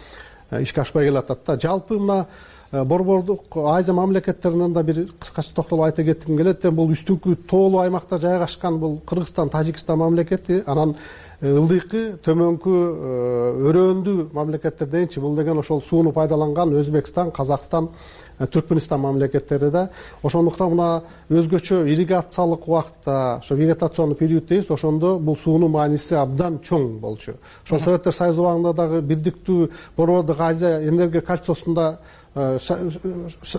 Speaker 22: ишке ашпай келатат да. Жалпы мына борбордук Азия мамлекеттеринен да бир кыскача токтолуп айта кетким келет. Бул үстүнкү тоолуу аймакта жайгашкан бул Кыргызстан, Тажикстан мамлекети, анан ылдыйкы, төмөнкү, өрөөндүү мамлекеттер дейинчи. Бул деген ошол сууну пайдаланган Өзбекстан, Казакстан, Түркмөнстан мамлекеттери да. Ошондуктан мына өзгөчө ирригациялык убакытта, ошо вегетационный период дейбиз, ошондо бул суунун мааниси абдан чоң болчу. Ошол Советтер Союзу убагында дагы бирдиктүү борбордук Азия энергия кольцосунда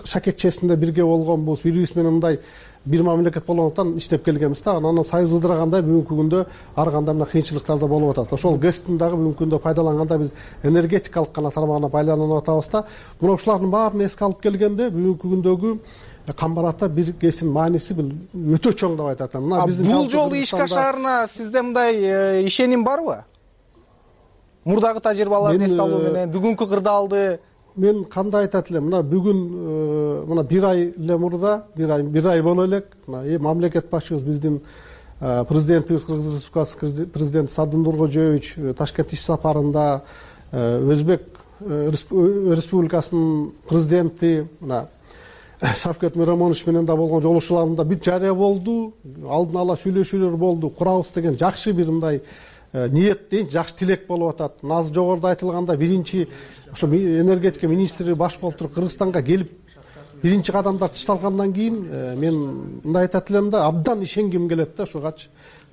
Speaker 22: шакекчесинде бирге болгон бул биз менен мындай бир мамлекет болгондуктан иштеп келгенбиз да. Анан союз ыдырагандай бүгүнкү күндө ар кандай мына кыйынчылыктар да болуп атат. Ошол гэстин дагы бүгүнкү күндө пайдаланганда биз энергетикалык гана тармагына байланып атабыз да. Мына ушулардын баарын эске алып келгенде бүгүнкү күндөгү Камбар ата бир гэсин мааниси бул өтө чоң деп айтат. Мына биздин
Speaker 2: бул жолу ишке ашаарына сизде мындай ишеним барбы? Мурдагы тажрыйбаларды эске алуу менен бүгүнкү кырдаалды
Speaker 22: мен кандай айтат элем, мына бүгүн мына бир ай эле мурда, бир ай бир ай боло элек, мына мамлекет башчыбыз биздин президентибиз, Кыргыз Республикасы президенти Садыр Нуркожоевич Ташкент иш сапарында Өзбек Республикасынын президенти мына Шавкет Миромонович менен да болгон жолугушууларында бүт жарыя болду, алдын ала сүйлөшүүлөр болду, курабыз деген жакшы бир мындай ниет дейин, жакшы тилек болуп атат. Азыр жогоруда айтылганда биринчи ошо энергетика министри баш болуп туруп Кыргызстанга келип биринчи кадамдар ташталгандан кийин мен мындай айтат элем да, абдан ишенгим келет да ушугачы.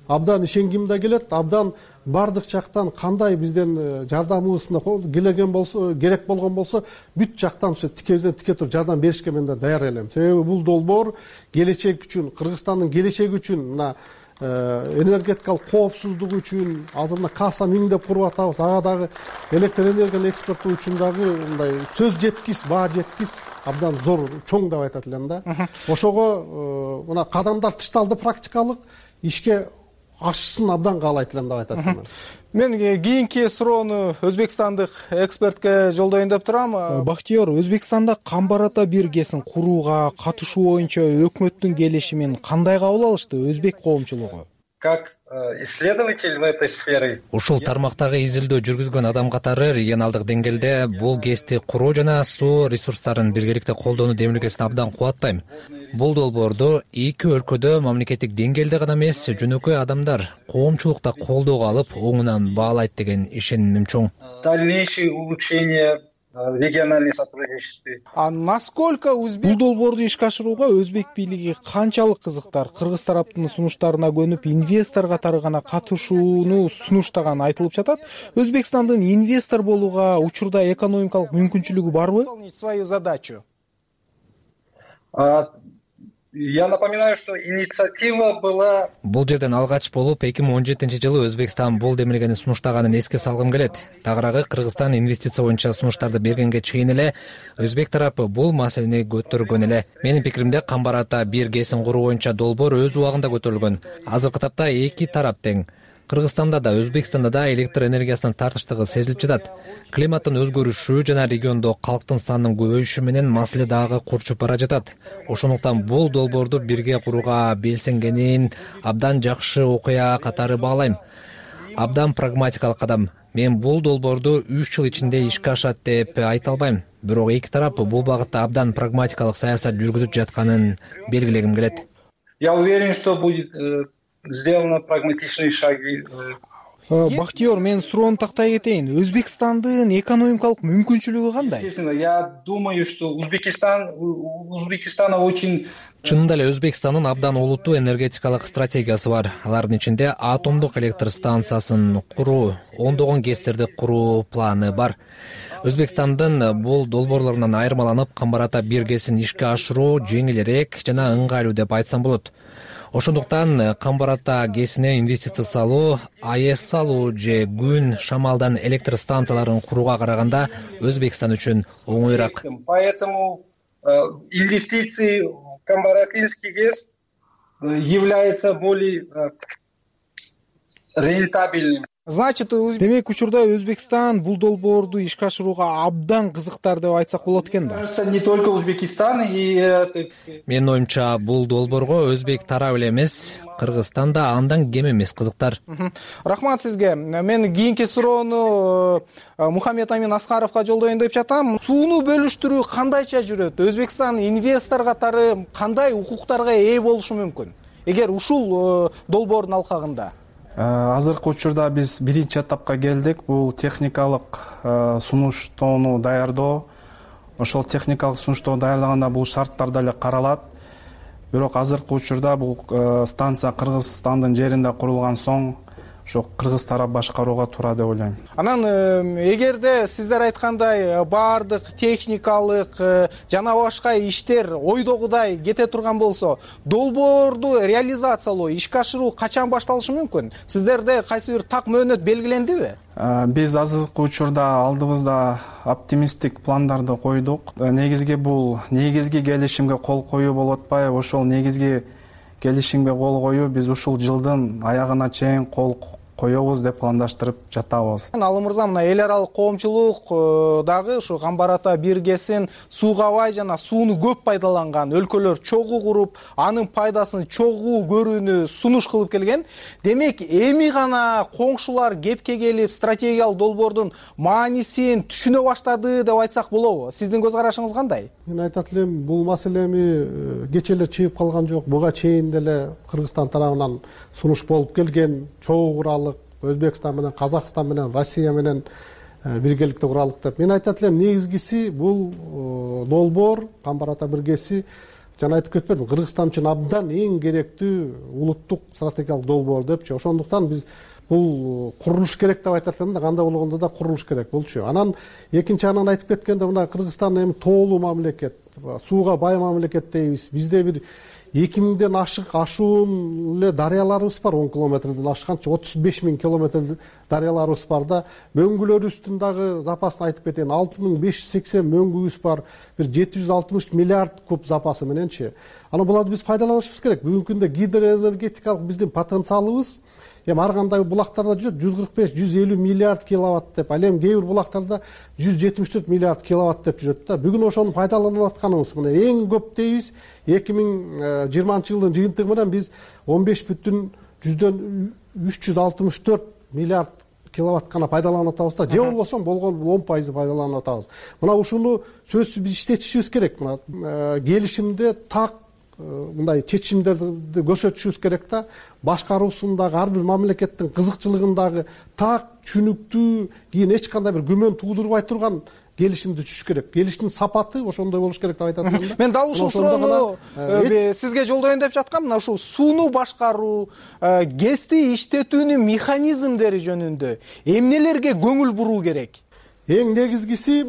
Speaker 22: Абдан ишенгим да келет, абдан бардык жактан кандай бизден жардамыбызда келген болсо, керек болгон болсо, бүт жактан ошо тикебизден тике туруп жардам беришке мен да даяр элем. Себеби бул долбоор келечек үчүн, Кыргызстандын келечеги үчүн, мына энергетикалык коопсуздук үчүн, азыр мына Каса миң деп куруп атабыз, ага дагы электр энергияны экспорттоо үчүн дагы мындай сөз жеткис, баа жеткис, абдан зор, чоң деп айтат элем да. Ошого мына кадамдар ташталды, практикалык ишке ашсын абдан каалайт элем деп айтат элем.
Speaker 2: Мен кийинки суроону өзбекстандык экспертке жолдоюн деп турам. Бактыйор, Өзбекстанда Камбар ата биргесин курууга катышуу боюнча өкмөттүн келишимин кандай кабыл алышты өзбек коомчулугу?
Speaker 6: Как исследователь в этой сфере.
Speaker 1: Ушул тармактагы изилдөө жүргүзгөн адам катары регионалдык деңгээлде бул гэсти куруу жана суу ресурстарын биргеликте колдонуу демилгесин абдан кубаттайм. Бул долбоорду эки өлкөдө мамлекеттик деңгээлде гана эмес, жөнөкөй адамдар, коомчулукта колдоого алып, оңунан баалайт деген ишенимим чоң.
Speaker 6: Дальнейшее улучшение региональное сотрудничество.
Speaker 2: А насколько өзбек бул долбоорду ишке ашырууга өзбек бийлиги канчалык кызыктар? Кыргыз тараптын сунуштарына көнүп, инвестор катары гана катышууну сунуштаган айтылып жатат. Өзбекстандын инвестор болууга учурда экономикалык мүмкүнчүлүгү барбы? Свою задачу.
Speaker 6: Я напоминаю, что инициатива была.
Speaker 1: Бул жерден алгач болуп эки миң он жетинчи жылы Өзбекстан бул демилгени сунуштаганын эске салгым келет. Тагыраагы Кыргызстан инвестиция боюнча сунуштарды бергенге чейин эле өзбек тарапы бул маселени көтөргөн эле. Менин пикиримде Камбар ата бир гэсин куруу боюнча долбоор өз убагында көтөрүлгөн. Азыркы тапта эки тарап тең. Кыргызстанда да, Өзбекстанда да электр энергиясынын тартыштыгы сезилип жатат. Климаттын өзгөрүшү жана региондо калктын санынын көбөйүшү менен маселе дагы курчуп бара жатат. Ошондуктан бул долбоорду бирге курууга белсенгенин абдан жакшы окуя катары баалайм. Абдан прагматикалык кадам. Мен бул долбоорду үч жыл ичинде ишке ашат деп айта албайм. Бирок эки тарап бул багытта абдан прагматикалык саясат жүргүзүп жатканын белгилегим келет.
Speaker 6: Я уверен, что будет сделаны прагматичные шаги.
Speaker 2: Бактыйор, мен суроону тактай кетейин. Өзбекстандын экономикалык мүмкүнчүлүгү кандай?
Speaker 6: Естественно, я думаю, что Узбекистан, Узбекистана очень...
Speaker 1: Чынында эле Өзбекстандын абдан олуттуу энергетикалык стратегиясы бар. Алардын ичинде атомдук электр станциясын куруу, ондогон ГЭСтерди куруу планы бар. Өзбекстандын бул долбоорлорунан айырмаланып, Камбар Ата бир ГЭСин ишке ашыруу жеңилирээк жана ыңгайлуу деп айтсам болот. Ошондуктан Камбар Ата ГЭСине инвестиция салуу, АЭС салуу же күн, шамалдан электр станцияларын курууга караганда Өзбекстан үчүн оңоюраак.
Speaker 6: Поэтому инвестиции в Камбаратинский ГЭС является более рентабельным.
Speaker 2: Значит, демек учурда Өзбекстан бул долбоорду ишке ашырууга абдан кызыктар деп айтсак болот экен да.
Speaker 6: Не только Узбекистан и...
Speaker 1: Менин оюмча, бул долбоорго өзбек тарап эле эмес, Кыргызстан да андан кем эмес кызыктар.
Speaker 2: Рахмат сизге. Мен кийинки суроону Мухаммед Амин Аскаровго жолдоюн деп жатам. Сууну бөлүштүрүү кандайча жүрөт? Өзбекстан инвестор катары кандай укуктарга ээ болушу мүмкүн? Эгер ушул долбоордун алкагында?
Speaker 4: Азыркы учурда биз биринчи этапка келдик. Бул техникалык сунуштоону даярдоо. Ошол техникалык сунуштоону даярдаганда бул шарттар деле каралат. Бирок азыркы учурда бул станция Кыргызстандын жеринде курулган соң ошо кыргыз тарап башкарууга туура деп ойлойм.
Speaker 2: Анан эгерде сиздер айткандай баардык техникалык жана башка иштер ойдогудай кете турган болсо, долбоорду реализациялоо, ишке ашыруу качан башталышы мүмкүн? Сиздерде кайсы бир так мөөнөт белгилендиби?
Speaker 4: Биз азыркы учурда алдыбызда оптимисттик пландарды койдук. Негизги бул негизги келишимге кол коюу болуп атпайбы? Ошол негизги келишимге кол коюу биз ушул жылдын аягына чейин кол коебуз деп пландаштырып жатабыз.
Speaker 2: Алы мырза, мына эл аралык коомчулук дагы ушу Камбар Ата бир ГЭСин сууга бай жана сууну көп пайдаланган өлкөлөр чогуу куруп, анын пайдасын чогуу көрүүнү сунуш кылып келген. Демек, эми гана коңшулар кепке келип, стратегиялык долбоордун маанисин түшүнө баштады деп айтсак болобу? Сиздин көз карашыңыз кандай?
Speaker 22: Мен айтат элем, бул маселе эми кече эле чыгып калган жок. Буга чейин деле Кыргызстан тарабынан сунуш болуп келген, чогуу куралык Өзбекстан менен, Казакстан менен, Россия менен биргеликте куралык деп. Мен айтат элем, негизгиси бул долбоор Камбар Ата бир ГЭСи, жана айтып кетпедим, Кыргызстан үчүн абдан эң керектүү улуттук стратегиялык долбоор депчи. Ошондуктан биз бул курулуш керек деп айтат элем да, кандай болгондо да курулуш керек болчу. Анан экинчи анан айтып кеткенде, мына Кыргызстан эми тоолуу мамлекет, сууга бай мамлекет дейбиз. Бизде бир эки миңден ашык ашуун эле дарыяларыбыз бар, он километрден ашканчы отуз беш миң километр дарыяларыбыз бар да. Мөңгүлөрүбүздүн дагы запасын айтып кетейин, алты миң беш жүз сексен мөңгүбүз бар, бир жети жүз алтымыш миллиард куб запасы мененчи. Анан буларды биз пайдаланышыбыз керек. Бүгүнкү күндө гидроэнергетикалык биздин потенциалыбыз эми ар кандай булактарда жүрөт, жүз кырк беш жүз элүү миллиард киловатт деп, ал эми кээ бир булактарда жүз жетимиш төрт миллиард киловатт деп жүрөт да. Бүгүн ошону пайдаланып атканыбыз мына эң көп дейбиз. эки миң жыйырманчы жылдын жыйынтыгы менен биз он беш бүтүн жүздөн үч жүз алтымыш төрт миллиард киловатт гана пайдаланып атабыз да. Же болбосо болгон он пайызы пайдаланып атабыз. Мына ушуну сөзсүз биз иштетишибиз керек. Мына келишимде так мындай чечимдерди көрсөтүшүбүз керек да. Башкаруусундагы ар бир мамлекеттин кызыкчылыгындагы так, түшүнүктүү, кийин эч кандай бир күмөн туудурбай турган келишимди түзүш керек. Келиштин сапаты ошондой болуш керек деп айтат элем да.
Speaker 2: Мен дал ушул суроону сизге жолдоюн деп жаткам. Мына ушул сууну башкаруу, ГЭСти иштетүүнүн механизмдери жөнүндө эмнелерге көңүл буруу керек?
Speaker 22: Эң негизгиси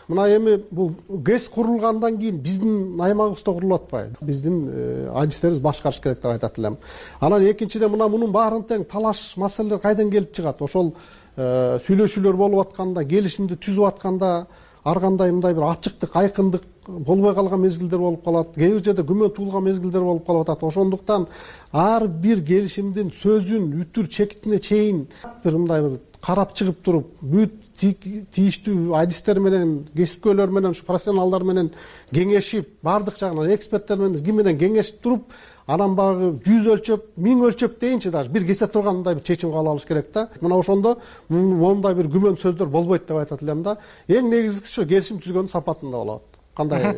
Speaker 22: мына эми бул ГЭС курулгандан кийин биздин аймагыбызда курулуп атпайбы? Биздин адистерибиз башкарыш керек деп айтат элем. Анан экинчиден мына мунун баарын тең талаш маселелер кайдан келип чыгат? Ошол сүйлөшүүлөр болуп атканда, келишимди түзүп атканда ар кандай мындай бир ачыктык, айкындык болбой калган мезгилдер болуп калат. Кээ бир жерде күмөн туулган мезгилдер болуп калып атат. Ошондуктан ар бир келишимдин сөзүн үтүр чекитине чейин бир мындай бир карап чыгып туруп, бүт тийиштүү адистер менен, кесипкөйлөр менен, ушу профессионалдар менен кеңешип, баардык жагынан эксперттер менен, ким менен кеңешип туруп, анан багы жүз өлчөп, миң өлчөп дейинчи даже бир кесе турган мындай бир чечим кабыл алыш керек да. Мына ошондо мондай бир күмөн сөздөр болбойт деп айтат элем да. Эң негизгиси ошо келишим түзгөндүн сапатында болот. Кандай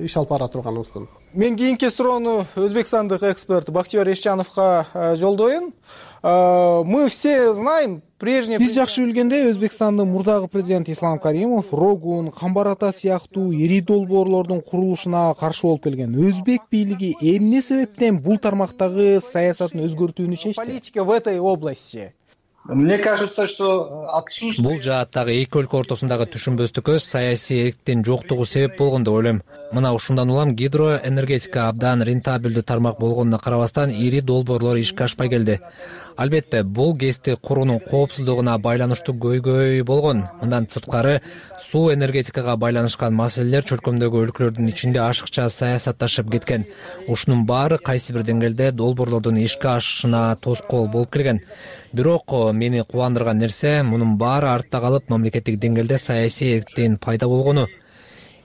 Speaker 22: иш алып бара турганыбызды.
Speaker 2: Мен кийинки суроону өзбекстандык эксперт Бактиёр Эшчановго жолдоюн. Мы все знаем, прежний биз жакшы билгендей, Өзбекстандын мурдагы президенти Ислам Каримов Рогун, Камбар ата сыяктуу ири долбоорлордун курулушуна каршы болуп келген. Өзбек бийлиги эмне себептен бул тармактагы саясатын өзгөртүүнү чечти? Политика в этой области.
Speaker 6: Мне кажется, что отсутствие...
Speaker 1: Бул жааттагы эки өлкө ортосундагы түшүнбөстүккө саясий эрктин жоктугу себеп болгон деп ойлойм. Мына ушундан улам гидроэнергетика абдан рентабелдүү тармак болгонуна карабастан ири долбоорлор ишке ашпай келди. Албетте, бул ГЭСти куруунун коопсуздугуна байланыштуу көйгөй болгон. Мындан сырткары, суу энергетикага байланышкан маселелер чөлкөмдөгү өлкөлөрдүн ичинде ашыкча саясатташып кеткен. Ушунун баары кайсы бир деңгээлде долбоорлордун ишке ашышына тоскоол болуп келген. Бирок мени кубандырган нерсе, мунун баары артта калып, мамлекеттик деңгээлде саясий эрктин пайда болгону.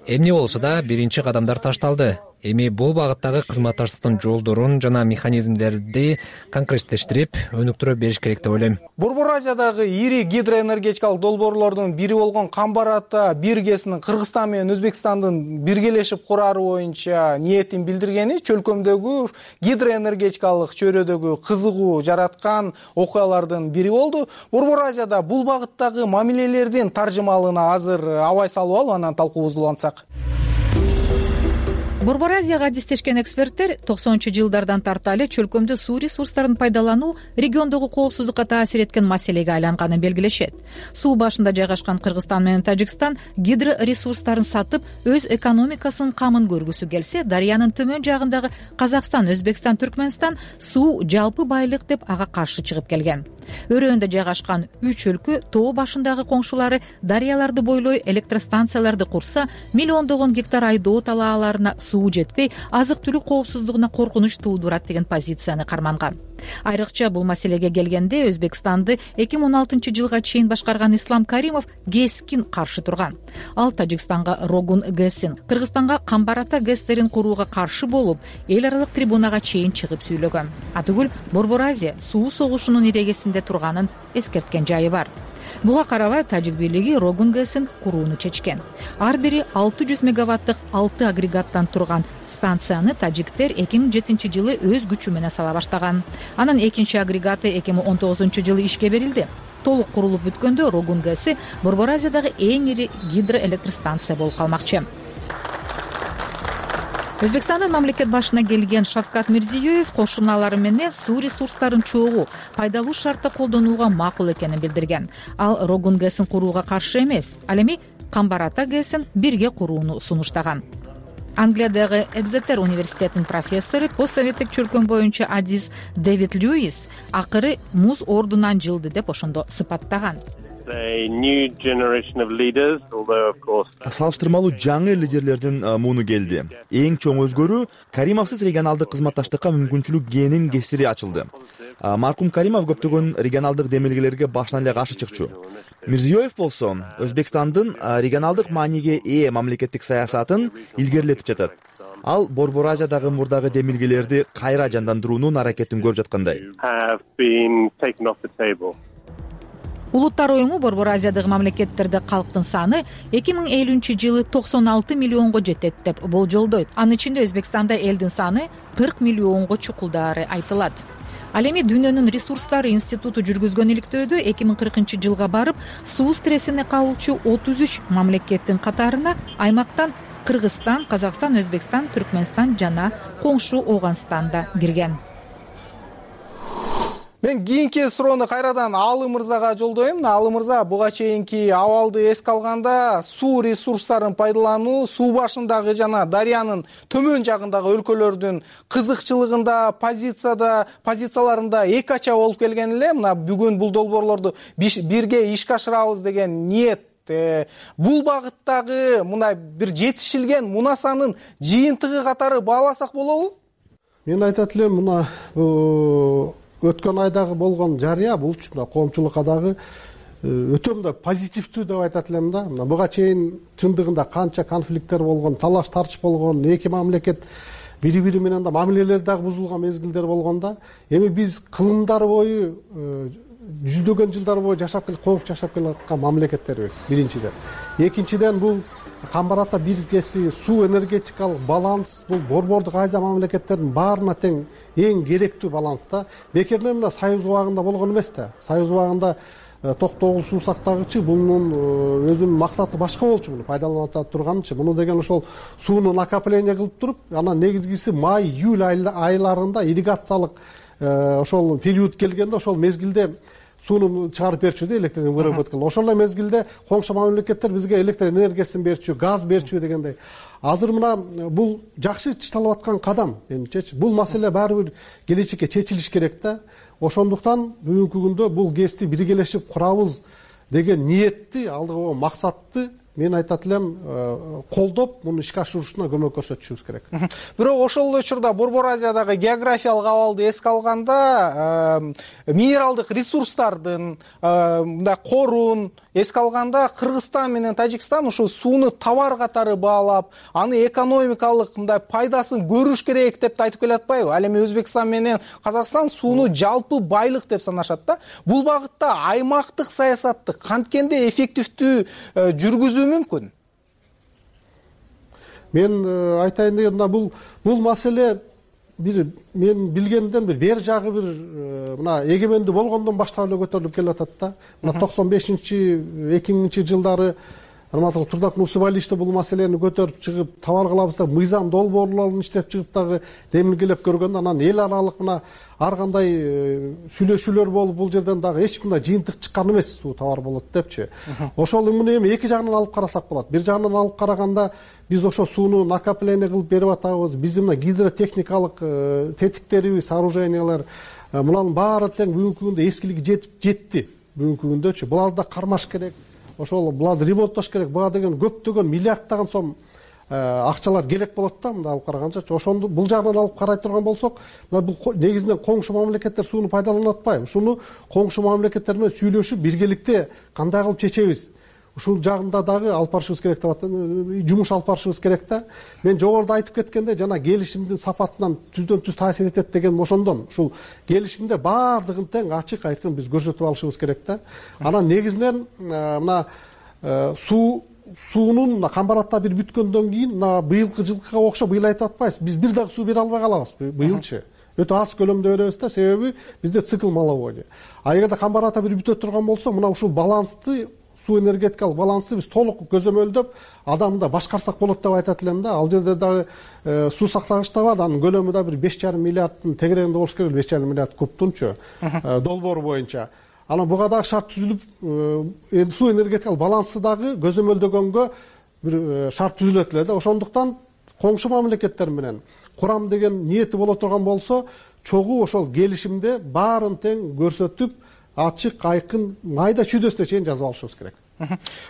Speaker 1: Эмне болсо да, биринчи кадамдар ташталды. Эми бул багыттагы кызматташтыктын жолдорун жана механизмдерди конкреттештирип, өнүктүрө бериш керек деп ойлойм.
Speaker 2: Борбор Азиядагы ири гидроэнергетикалык долбоорлордун бири болгон Камбар ата бир ГЭСинин Кыргызстан менен Өзбекстандын биргелешип курары боюнча ниетин билдиргени чөлкөмдөгү гидроэнергетикалык чөйрөдөгү кызыгуу жараткан окуялардын бири болду. Борбор Азияда бул багыттагы мамилелердин таржымалына азыр абай салып алып, анан талкуубузду улантсак.
Speaker 7: Борбор Азияга адистешкен эксперттер токсонунчу жылдардан тарталы чөлкөмдө суу ресурстарын пайдалануу региондогу коопсуздукка таасир эткен маселеге айланганын белгилешет. Суу башында жайгашкан Кыргызстан менен Тажикстан гидроресурстарын сатып, өз экономикасынын камын көргүсү келсе, дарыянын төмөн жагындагы Казакстан, Өзбекстан, Түркмөнстан суу жалпы байлык деп ага каршы чыгып келген. Өрөөндө жайгашкан үч өлкө тоо башындагы коңшулары дарыяларды бойлой электростанцияларды курса, миллиондогон гектар айдоо талааларына суу жетпей, азык-түлүк коопсуздугуна коркунуч туудурат деген позицияны карманган. Айрыкча бул маселеге келгенде Өзбекстанды эки миң он алтынчы жылга чейин башкарган Ислам Каримов ГЭСкин каршы турган. Ал Тажикстанга Рогун ГЭСин, Кыргызстанга Камбар ата ГЭСтерин курууга каршы болуп, эл аралык трибунага чейин чыгып сүйлөгөн. Атүгүл Борбор Азия суу согушунун ирегесинде турганын эскерткен жайы бар. Буга карабай Тажик бийлиги Рогун ГЭСин курууну чечкен. Ар бири алты жүз мегаваттык алты агрегаттан турган станцияны тажиктер эки миң жетинчи жылы өз күчү менен сала баштаган. Анан экинчи агрегаты эки миң он тогузунчу жылы ишке берилди. Толук курулуп бүткөндө Рогун ГЭСи Борбор Азиядагы эң ири гидроэлектростанция болуп калмакчы. Өзбекстандын мамлекет башына келген Шавкат Мирзиёев кошуналары менен суу ресурстарын чогуу пайдалуу шартта колдонууга макул экенин билдирген. Ал Рогун ГЭСин курууга каршы эмес, ал эми Камбар ата ГЭСин бирге курууну сунуштаган. Англиядагы Экзетер университетинин профессору, постсоветтик чөлкөм боюнча адис Дэвид Льюис акыры муз ордунан жылды деп ошондо сыпаттаган.
Speaker 8: Салыштырмалуу жаңы лидерлердин муну келди. Эң чоң өзгөрүү Каримовсуз регионалдык кызматташтыкка мүмкүнчүлүк гээнин кесири ачылды. Маркум Каримов көптөгөн регионалдык демилгелерге башынан эле каршы чыкчу. Мирзиёев болсо Өзбекстандын регионалдык мааниге ээ мамлекеттик саясатын илгерилетип жатат. Ал Борбор Азиядагы мурдагы демилгелерди кайра жандандыруунун аракетин көрүп жаткандай.
Speaker 7: Улуттар уюму Борбор Азиядагы мамлекеттерде калктын саны эки миң элүүнчү жылы токсон алты миллионго жетет деп болжолдойт. Анын ичинде Өзбекстанда элдин саны кырк миллионго чукулдаары айтылат. Ал эми Дүйнөнүн ресурстары институту жүргүзгөн иликтөөдө эки миң кыркынчы жылга барып, суу стрессине кабылчу отуз үч мамлекеттин катарына аймактан Кыргызстан, Казакстан, Өзбекстан, Түркмөнстан жана коңшу Оганстан да кирген.
Speaker 2: Мен кийинки суроону кайрадан Алы мырзага жолдойм. Алы мырза, буга чейинки абалды эске алганда суу ресурстарын пайдалануу суу башындагы жана дарыянын төмөн жагындагы өлкөлөрдүн кызыкчылыгында, позицияда, позицияларында эки ача болуп келген эле. Мына бүгүн бул долбоорлорду бирге ишке ашырабыз деген ниет. Бул багыттагы мына бир жетишилген мунасанын жыйынтыгы катары бааласак болобу?
Speaker 22: Мен айтат элем, мына өткөн айдагы болгон жарыя бул коомчулукка дагы өтө мындай позитивдүү деп айтат элем да. Мына буга чейин чындыгында канча конфликттер болгон, талаш тартыш болгон, эки мамлекет бири-бири менен да мамилелер дагы бузулган мезгилдер болгондо, эми биз кылымдар бою жүздөгөн жылдар бою жашап кел коңшу жашап келаткан мамлекеттербиз биринчиден. Экинчиден бул Камбар Ата бирикеси, суу энергетикалык баланс бул борбордук Азия мамлекеттеринин баарына тең эң керектүү баланс да. Бекерден мына Союз убагында болгон эмес да. Союз убагында токтогул суу сактагычы бунун өзүнүн максаты башка болчу, муну пайдалана турганчы. Муну деген ошол сууну накопление кылып туруп, анан негизгиси май, июль айларында ирригациялык ошол период келгенде ошол мезгилде сууну чыгарып берчү да, электр выработка. Ошол эле мезгилде коңшу мамлекеттер бизге электр энергиясын берчү, газ берчү дегендей. Азыр мына бул жакшы чышталып аткан кадам менимчечи. Бул маселе баары бир келечекке чечилиш керек да. Ошондуктан бүгүнкү күндө бул ГЭСти биргелешип курабыз деген ниетти, алдыга максатты мен айтат элем колдоп, муну ишке ашырушуна көмөк көрсөтүшүбүз керек.
Speaker 2: Бирок ошол эле учурда Борбор Азиядагы географиялык абалды эске алганда, минералдык ресурстардын, мындай корун эске алганда Кыргызстан менен Тажикстан ушул сууну товар катары баалап, аны экономикалык мындай пайдасын көрүш керек деп айтып келатпайбы? Ал эми Өзбекстан менен Казакстан сууну жалпы байлык деп санашат да. Бул багытта аймактык саясатты канткенде эффективдүү жүргүзүү мүмкүн?
Speaker 22: Мен айтайын дегенде бул бул маселе бир мен билгенден бир бер жагы бир мына эгемендүү болгондон баштап эле көтөрүлүп келатат да. Мына токсон бешинчи эки миңинчи жылдары Алматылык Турдак Нусубаличте бул маселени көтөрүп чыгып, товар кылабыз деп мыйзам долбоорлорун иштеп чыгып дагы демилгелеп көргөндө, анан эл аралык мына ар кандай сүйлөшүүлөр болуп, бул жерден дагы эч кандай жыйынтык чыккан эмес, суу товар болот депчи. Ошол муну эми эки жагынан алып карасак болот. Бир жагынан алып караганда биз ошо сууну накопление кылып берип атабыз. Биздин мына гидротехникалык тетиктерибиз, сооружениялар, мунун баары тең бүгүнкү күндө эскилиги жетип жетти. Бүгүнкү күндөчү буларды кармаш керек. Ошол буларды ремонттош керек. Буга деген көптөгөн миллиарддаган сом акчалар керек болот да, мындай алып караганча. Ошону бул жагынан алып карай турган болсок, мына бул негизинен коңшу мамлекеттер сууну пайдаланып атпайбы? Ушуну коңшу мамлекеттер менен сүйлөшүп, биргеликте кандай кылып чечебиз? Ушул жагында дагы алып барышыбыз керек деп атат, жумуш алып барышыбыз керек да. Мен жогоруда айтып кеткенде, жана келишимдин сапатынан түздөн түз таасир этет деген ошондон. Ушул келишимде баардыгын тең ачык айкын биз көрсөтүп алышыбыз керек да. Анан негизинен мына суу суунун Камбар Ата бир бүткөндөн кийин мына быйылкы жылкыга окшоп быйыл айтып атпайбыз. Биз бир дагы суу бере албай калабыз быйылчы. Өтө аз көлөмдө беребиз да, себеби бизде цикл маловодия. А эгерде Камбар Ата бир бүтө турган болсо, мына ушул балансты, суу энергетикалык балансты биз толук көзөмөлдөп, адамда башкарсак болот деп айтат элем да. Ал жерде дагы суу сактагыч да бар, анын көлөмү да бир беш жарым миллиардтын тегерегинде болуш керек, беш жарым миллиард кубтунчу долбоор боюнча. Анан буга дагы шарт түзүлүп, эми суу энергетикалык балансты дагы көзөмөлдөгөнгө бир шарт түзүлөт эле да. Ошондуктан коңшу мамлекеттер менен курам деген ниети боло турган болсо, чогуу ошол келишимде баарын тең көрсөтүп, ачык айкын майда чүйдөсүнө чейин жазып алышыбыз керек.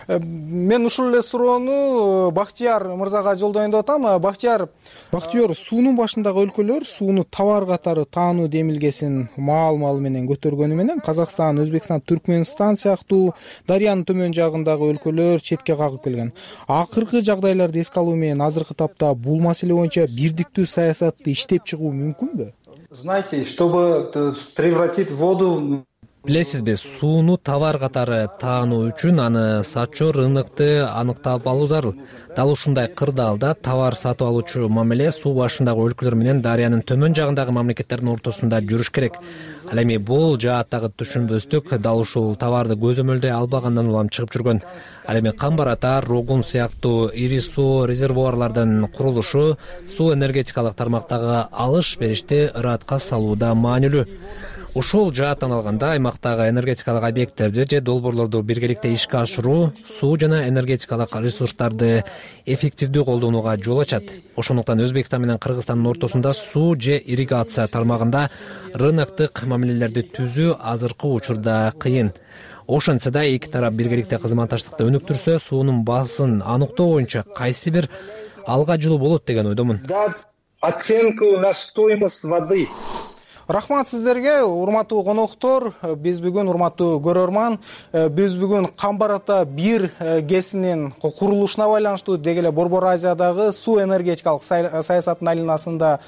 Speaker 2: Мен ушул эле суроону Бактияр мырзага жолдоюн деп атам. Бактияр, Бактияр, суунун башындагы өлкөлөр сууну товар катары таануу демилгесин маал-маал менен көтөргөнү менен Казакстан, Өзбекстан, Түркмөнстан сыяктуу дарыянын төмөн жагындагы өлкөлөр четке кагып келген. Акыркы жагдайларды эске алуу менен азыркы тапта бул маселе боюнча бирдиктүү саясатты иштеп чыгуу мүмкүнбү?
Speaker 6: Знаете, чтобы превратить воду...
Speaker 1: Билесизби, сууну товар катары таануу үчүн аны сатчу рынокты аныктап алуу зарыл. Дал ушундай кырдаалда товар сатып алуучу мамиле суу башындагы өлкөлөр менен дарыянын төмөн жагындагы мамлекеттердин ортосунда жүрүш керек. Ал эми бул жааттагы түшүнбөстүк дал ушул товарды көзөмөлдөй албагандан улам чыгып жүргөн. Ал эми Камбар Ата, Рогун сыяктуу ири суу резервуарлардын курулушу суу энергетикалык тармактагы алыш беришти ыраатка салууда маанилүү. Ушул жааттан алганда аймактагы энергетикалык объекттерди же долбоорлорду биргеликте ишке ашыруу суу жана энергетикалык ресурстарды эффективдүү колдонууга жол ачат. Ошондуктан Өзбекстан менен Кыргызстандын ортосунда суу же ирригация тармагында рыноктук мамилелерди түзүү азыркы учурда кыйын. Ошентсе да эки тарап биргеликте кызматташтыкты өнүктүрсө, суунун баасын аныктоо боюнча кайсы бир алга жылуу болот деген ойдомун.
Speaker 6: Оценку на стоимость воды.
Speaker 2: Рахмат сиздерге, урматтуу коноктор. Биз бүгүн, урматтуу көрөрман, биз бүгүн Камбар ата бир гэсинин курулушуна байланыштуу деги эле Борбор Азиядагы суу энергетикалык саясаттын айланасында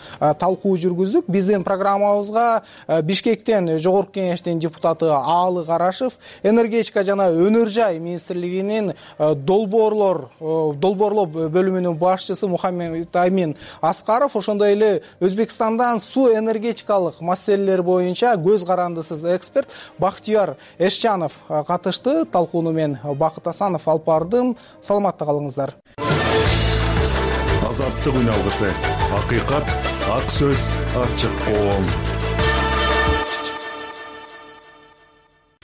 Speaker 2: талкуу жүргүздүк. Биздин программабызга Бишкектен Жогорку Кеңештин депутаты Аалы Карашев, энергетика жана өнөр жай министрлигинин долбоорлор долбоорлоо бөлүмүнүн башчысы Мухаммед Амин Аскаров, ошондой эле Өзбекстандан суу энергетикалык маселелер боюнча көз карандысыз эксперт Бактияр Эшчанов катышты. Талкууну мен Бакыт Асанов алып бардым. Саламатта калыңыздар.
Speaker 18: Азаттык үн алгысы, акыйкат, ак сөз, ачык коом.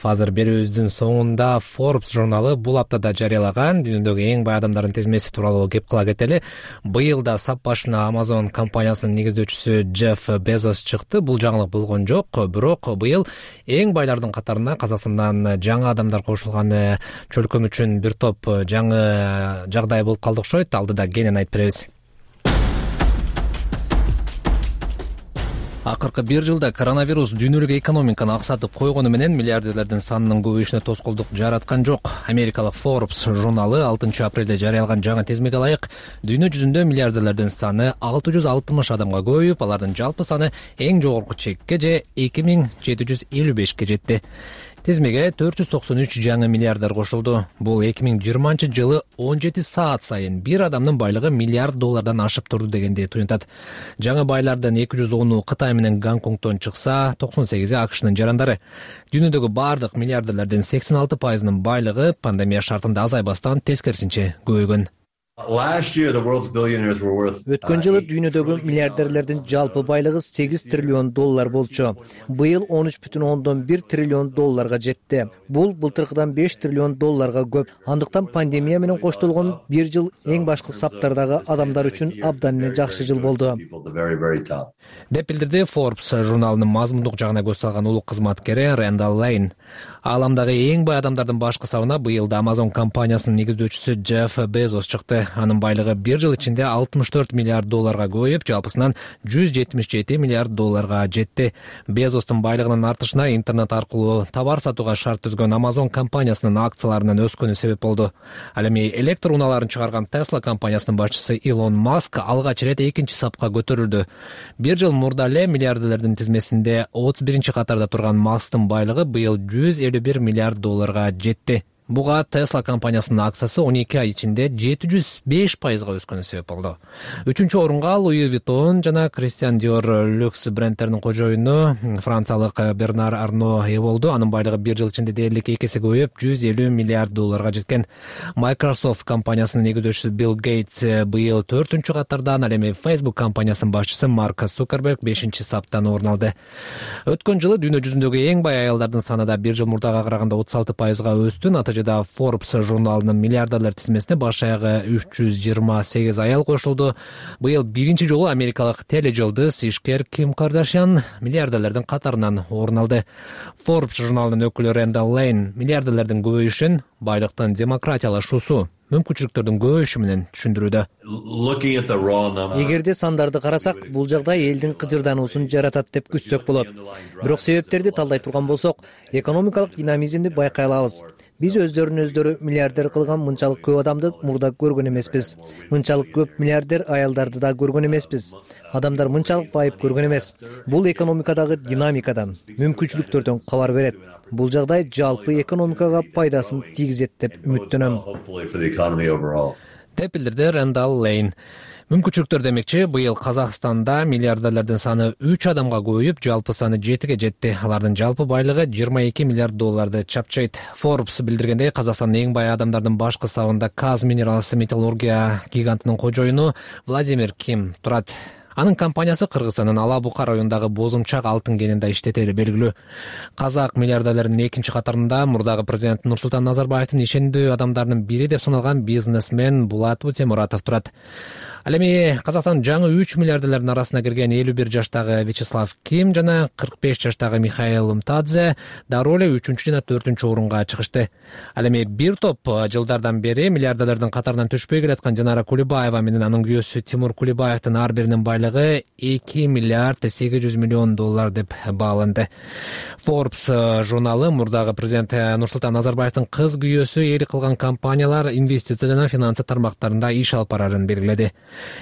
Speaker 1: Азыр берүүбүздүн соңунда Forbes журналы бул аптада жарыялаган дүйнөдөгү эң бай адамдардын тизмеси тууралуу кеп кыла кетели. Быйыл да сап башына Amazon компаниясынын негиздөөчүсү Джефф Безос чыкты. Бул жаңылык болгон жок, бирок быйыл эң байлардын катарына Казакстандан жаңы адамдар кошулганы чөлкөм үчүн бир топ жаңы жагдай болуп калды окшойт. Алдыда кенен айтып беребиз. Акыркы бир жылда коронавирус дүйнөлүк экономиканы аксатып койгону менен миллиардерлердин санынын көбөйүшүнө тоскоолдук жараткан жок. Америкалык Forbes журналы алтынчы апрелде жарыялаган жаңы тизмеге ылайык дүйнө жүзүндө миллиардерлердин саны алты жүз алтымыш адамга көбөйүп, алардын жалпы саны эң жогорку чекке же эки миң жети жүз элүү бешке жетти. Тизмеге төрт жүз токсон үч жаңы миллиардер кошулду. Бул эки миң жыйырманчы жылы он жети саат сайын бир адамдын байлыгы миллиард доллардан ашып турду дегенди туюнтат. Жаңы байлардын эки жүз ону Кытай менен Гонконгдон чыкса, токсон сегизи АКШнын жарандары. Дүйнөдөгү бардык миллиардерлердин сексен алты пайызынын байлыгы пандемия шартында азайбастан тескерисинче көбөйгөн. Өткөн жылы дүйнөдөгү миллиардерлердин жалпы байлыгы сегиз триллион доллар болчу. Быйыл он үч бүтүн ондон бир триллион долларга жетти. Бул былтыркыдан беш триллион долларга көп. Андыктан пандемия менен коштолгон бир жыл эң башкы саптардагы адамдар үчүн абдан эле жакшы жыл болду. Деп билдирди Forbes журналынын мазмундук жагына көз салган улук кызматкери Рэндалл Лейн. Ааламдагы эң бай адамдардын башкы сабына быйылда Amazon компаниясынын негиздөөчүсү Джефф Безос чыкты. Анын байлыгы бир жыл ичинде алтымыш төрт миллиард долларга көбөйүп, жалпысынан жүз жетимиш жети миллиард долларга жетти. Безостун байлыгынын артышына интернет аркылуу товар сатууга шарт түзгөн Amazon компаниясынын акцияларынын өскөнү себеп болду. Ал эми электр унааларын чыгарган Tesla компаниясынын башчысы Илон Маск алгач ирет экинчи сапка көтөрүлдү. Бир жыл мурда эле миллиардерлердин тизмесинде отуз биринчи катарда турган Масктын байлыгы быйыл жүз элүү бир миллиард долларга жетти. Буга Tesla компаниясынын акциясы он эки ай ичинде жети жүз беш пайызга өскөнү себеп болду. Үчүнчү орунга Louis Vuitton жана Christian Dior люкс брендтеринин кожоюну франциялык Бернар Арно ээ болду. Анын байлыгы бир жыл ичинде дээрлик эки эсе көбөйүп, жүз элүү миллиард долларга жеткен. Microsoft компаниясынын негиздөөчүсү Билл Гейтс быйыл төртүнчү катардан, ал эми Facebook компаниясынын башчысы Марк Цукерберг бешинчи саптан орун алды. Өткөн жылы дүйнө жүзүндөгү эң бай аялдардын саны да бир жыл мурдага караганда отуз алты пайызга өстү. Натыйжада Forbes журналынын миллиардерлер тизмесине баш аягы үч жүз жыйырма сегиз аял кошулду. Быйыл биринчи жолу америкалык тележылдыз ишкер Ким Кардашьян миллиардерлердин катарынан орун алды. Forbes журналынын өкүлү Рэндалл Лейн миллиардерлердин көбөйүшүн байлыктын демократиялашуусу, мүмкүнчүлүктөрдүн көбөйүшү менен түшүндүрүүдө. Эгерде сандарды карасак, бул жагдай элдин кыжырдануусун жаратат деп күтсөк болот. Бирок себептерди талдай турган болсок, экономикалык динамизмди байкай алабыз. Биз өздөрүнүн өздөрү миллиардер кылган мынчалык көп адамды мурда көргөн эмеспиз. Мынчалык көп миллиардер аялдарды да көргөн эмеспиз. Адамдар мынчалык байып көргөн эмес. Бул экономикадагы динамикадан, мүмкүнчүлүктөрдөн кабар берет. Бул жагдай жалпы экономикага пайдасын тийгизет деп үмүттөнөм. Деп билдирди Рэндалл Лейн. Мүмкүнчүлүктөр демекчи, быйыл Казакстанда миллиардерлердин саны үч адамга көбөйүп, жалпы саны жетиге жетти. Алардын жалпы байлыгы жыйырма эки миллиард долларды чапчайт. Forbes билдиргендей, Казакстандын эң бай адамдардын башкы сабында Kaz Minerals металлургия гигантынын кожоюну Владимир Ким турат. Анын компаниясы Кыргызстандын Ала-Бука районундагы Бозумчак алтын кенинде иштетери белгилүү. Казак миллиардерлеринин экинчи катарында мурдагы президент Нурсултан Назарбаевдин ишендүү адамдарынын бири деп саналган бизнесмен Булат Утемуратов турат. Ал эми Казакстандын жаңы үч миллиардерлердин арасына кирген элүү бир жаштагы Вячеслав Ким жана кырк беш жаштагы Михаил Мтадзе дароо эле үчүнчү жана төртүнчү орунга чыгышты. Ал эми бир топ жылдардан бери миллиардерлердин катарынан түшпөй келаткан Жанара Кулибаева менен анын күйөөсү Тимур Кулибаевдин ар биринин байлыгы байлыгы эки миллиард сегиз жүз миллион доллар деп бааланды. Forbes журналы мурдагы президент Нурсултан Назарбаевдин кыз күйөөсү ээлик кылган компаниялар инвестиция жана финансы тармактарында иш алып барарын белгиледи.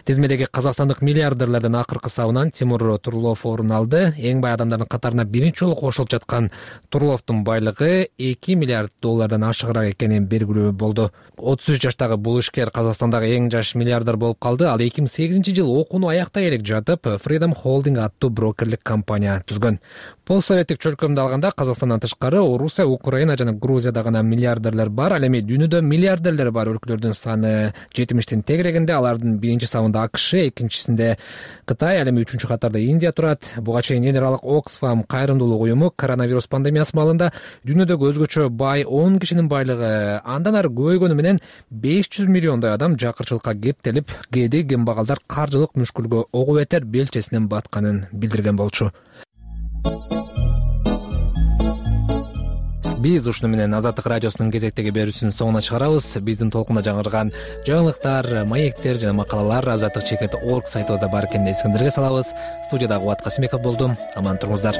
Speaker 1: Тизмедеги казакстандык миллиардерлердин акыркы сабынан Тимур Турлов орун алды. Эң бай адамдардын катарына биринчи жолу кошулуп жаткан Турловдун байлыгы эки миллиард доллардан ашыгыраак экени белгилүү болду. отуз үч жаштагы бул ишкер Казакстандагы эң жаш миллиардер болуп калды. Ал эки миң сегизинчи жылы окууну аяктай элек жатып Freedom Holding аттуу брокерлик компания түзгөн. Постсоветтик чөлкөмдү алганда Казакстандан тышкары Орусия, Украина жана Грузияда гана миллиардерлер бар. Ал эми дүйнөдө миллиардерлер бар өлкөлөрдүн саны жетимиштин тегерегинде. Алардын биринчи сабында АКШ, экинчисинде Кытай, ал эми үчүнчү катарда Индия турат. Буга чейин эл аралык Оксфам кайрымдуулук уюму коронавирус пандемиясы маалында дүйнөдөгү өзгөчө бай он кишинин байлыгы андан ары көбөйгөнү менен беш жүз миллиондой адам жакырчылыкка кептелип, кээде кембагалдар каржылык мүшкүлгө ого бетер белчесинен батканын билдирген болчу. Биз ушуну менен Азаттык радиосунун кезектеги берүүсүнүн соңуна чыгарабыз. Биздин толкунда жаңырган жаңылыктар, маектер жана макалалар азаттык чекит точка орг сайтыбызда бар экенин эсиңиздерге салабыз. Студияда Кубат Касымбеков болдум. Аман туруңуздар.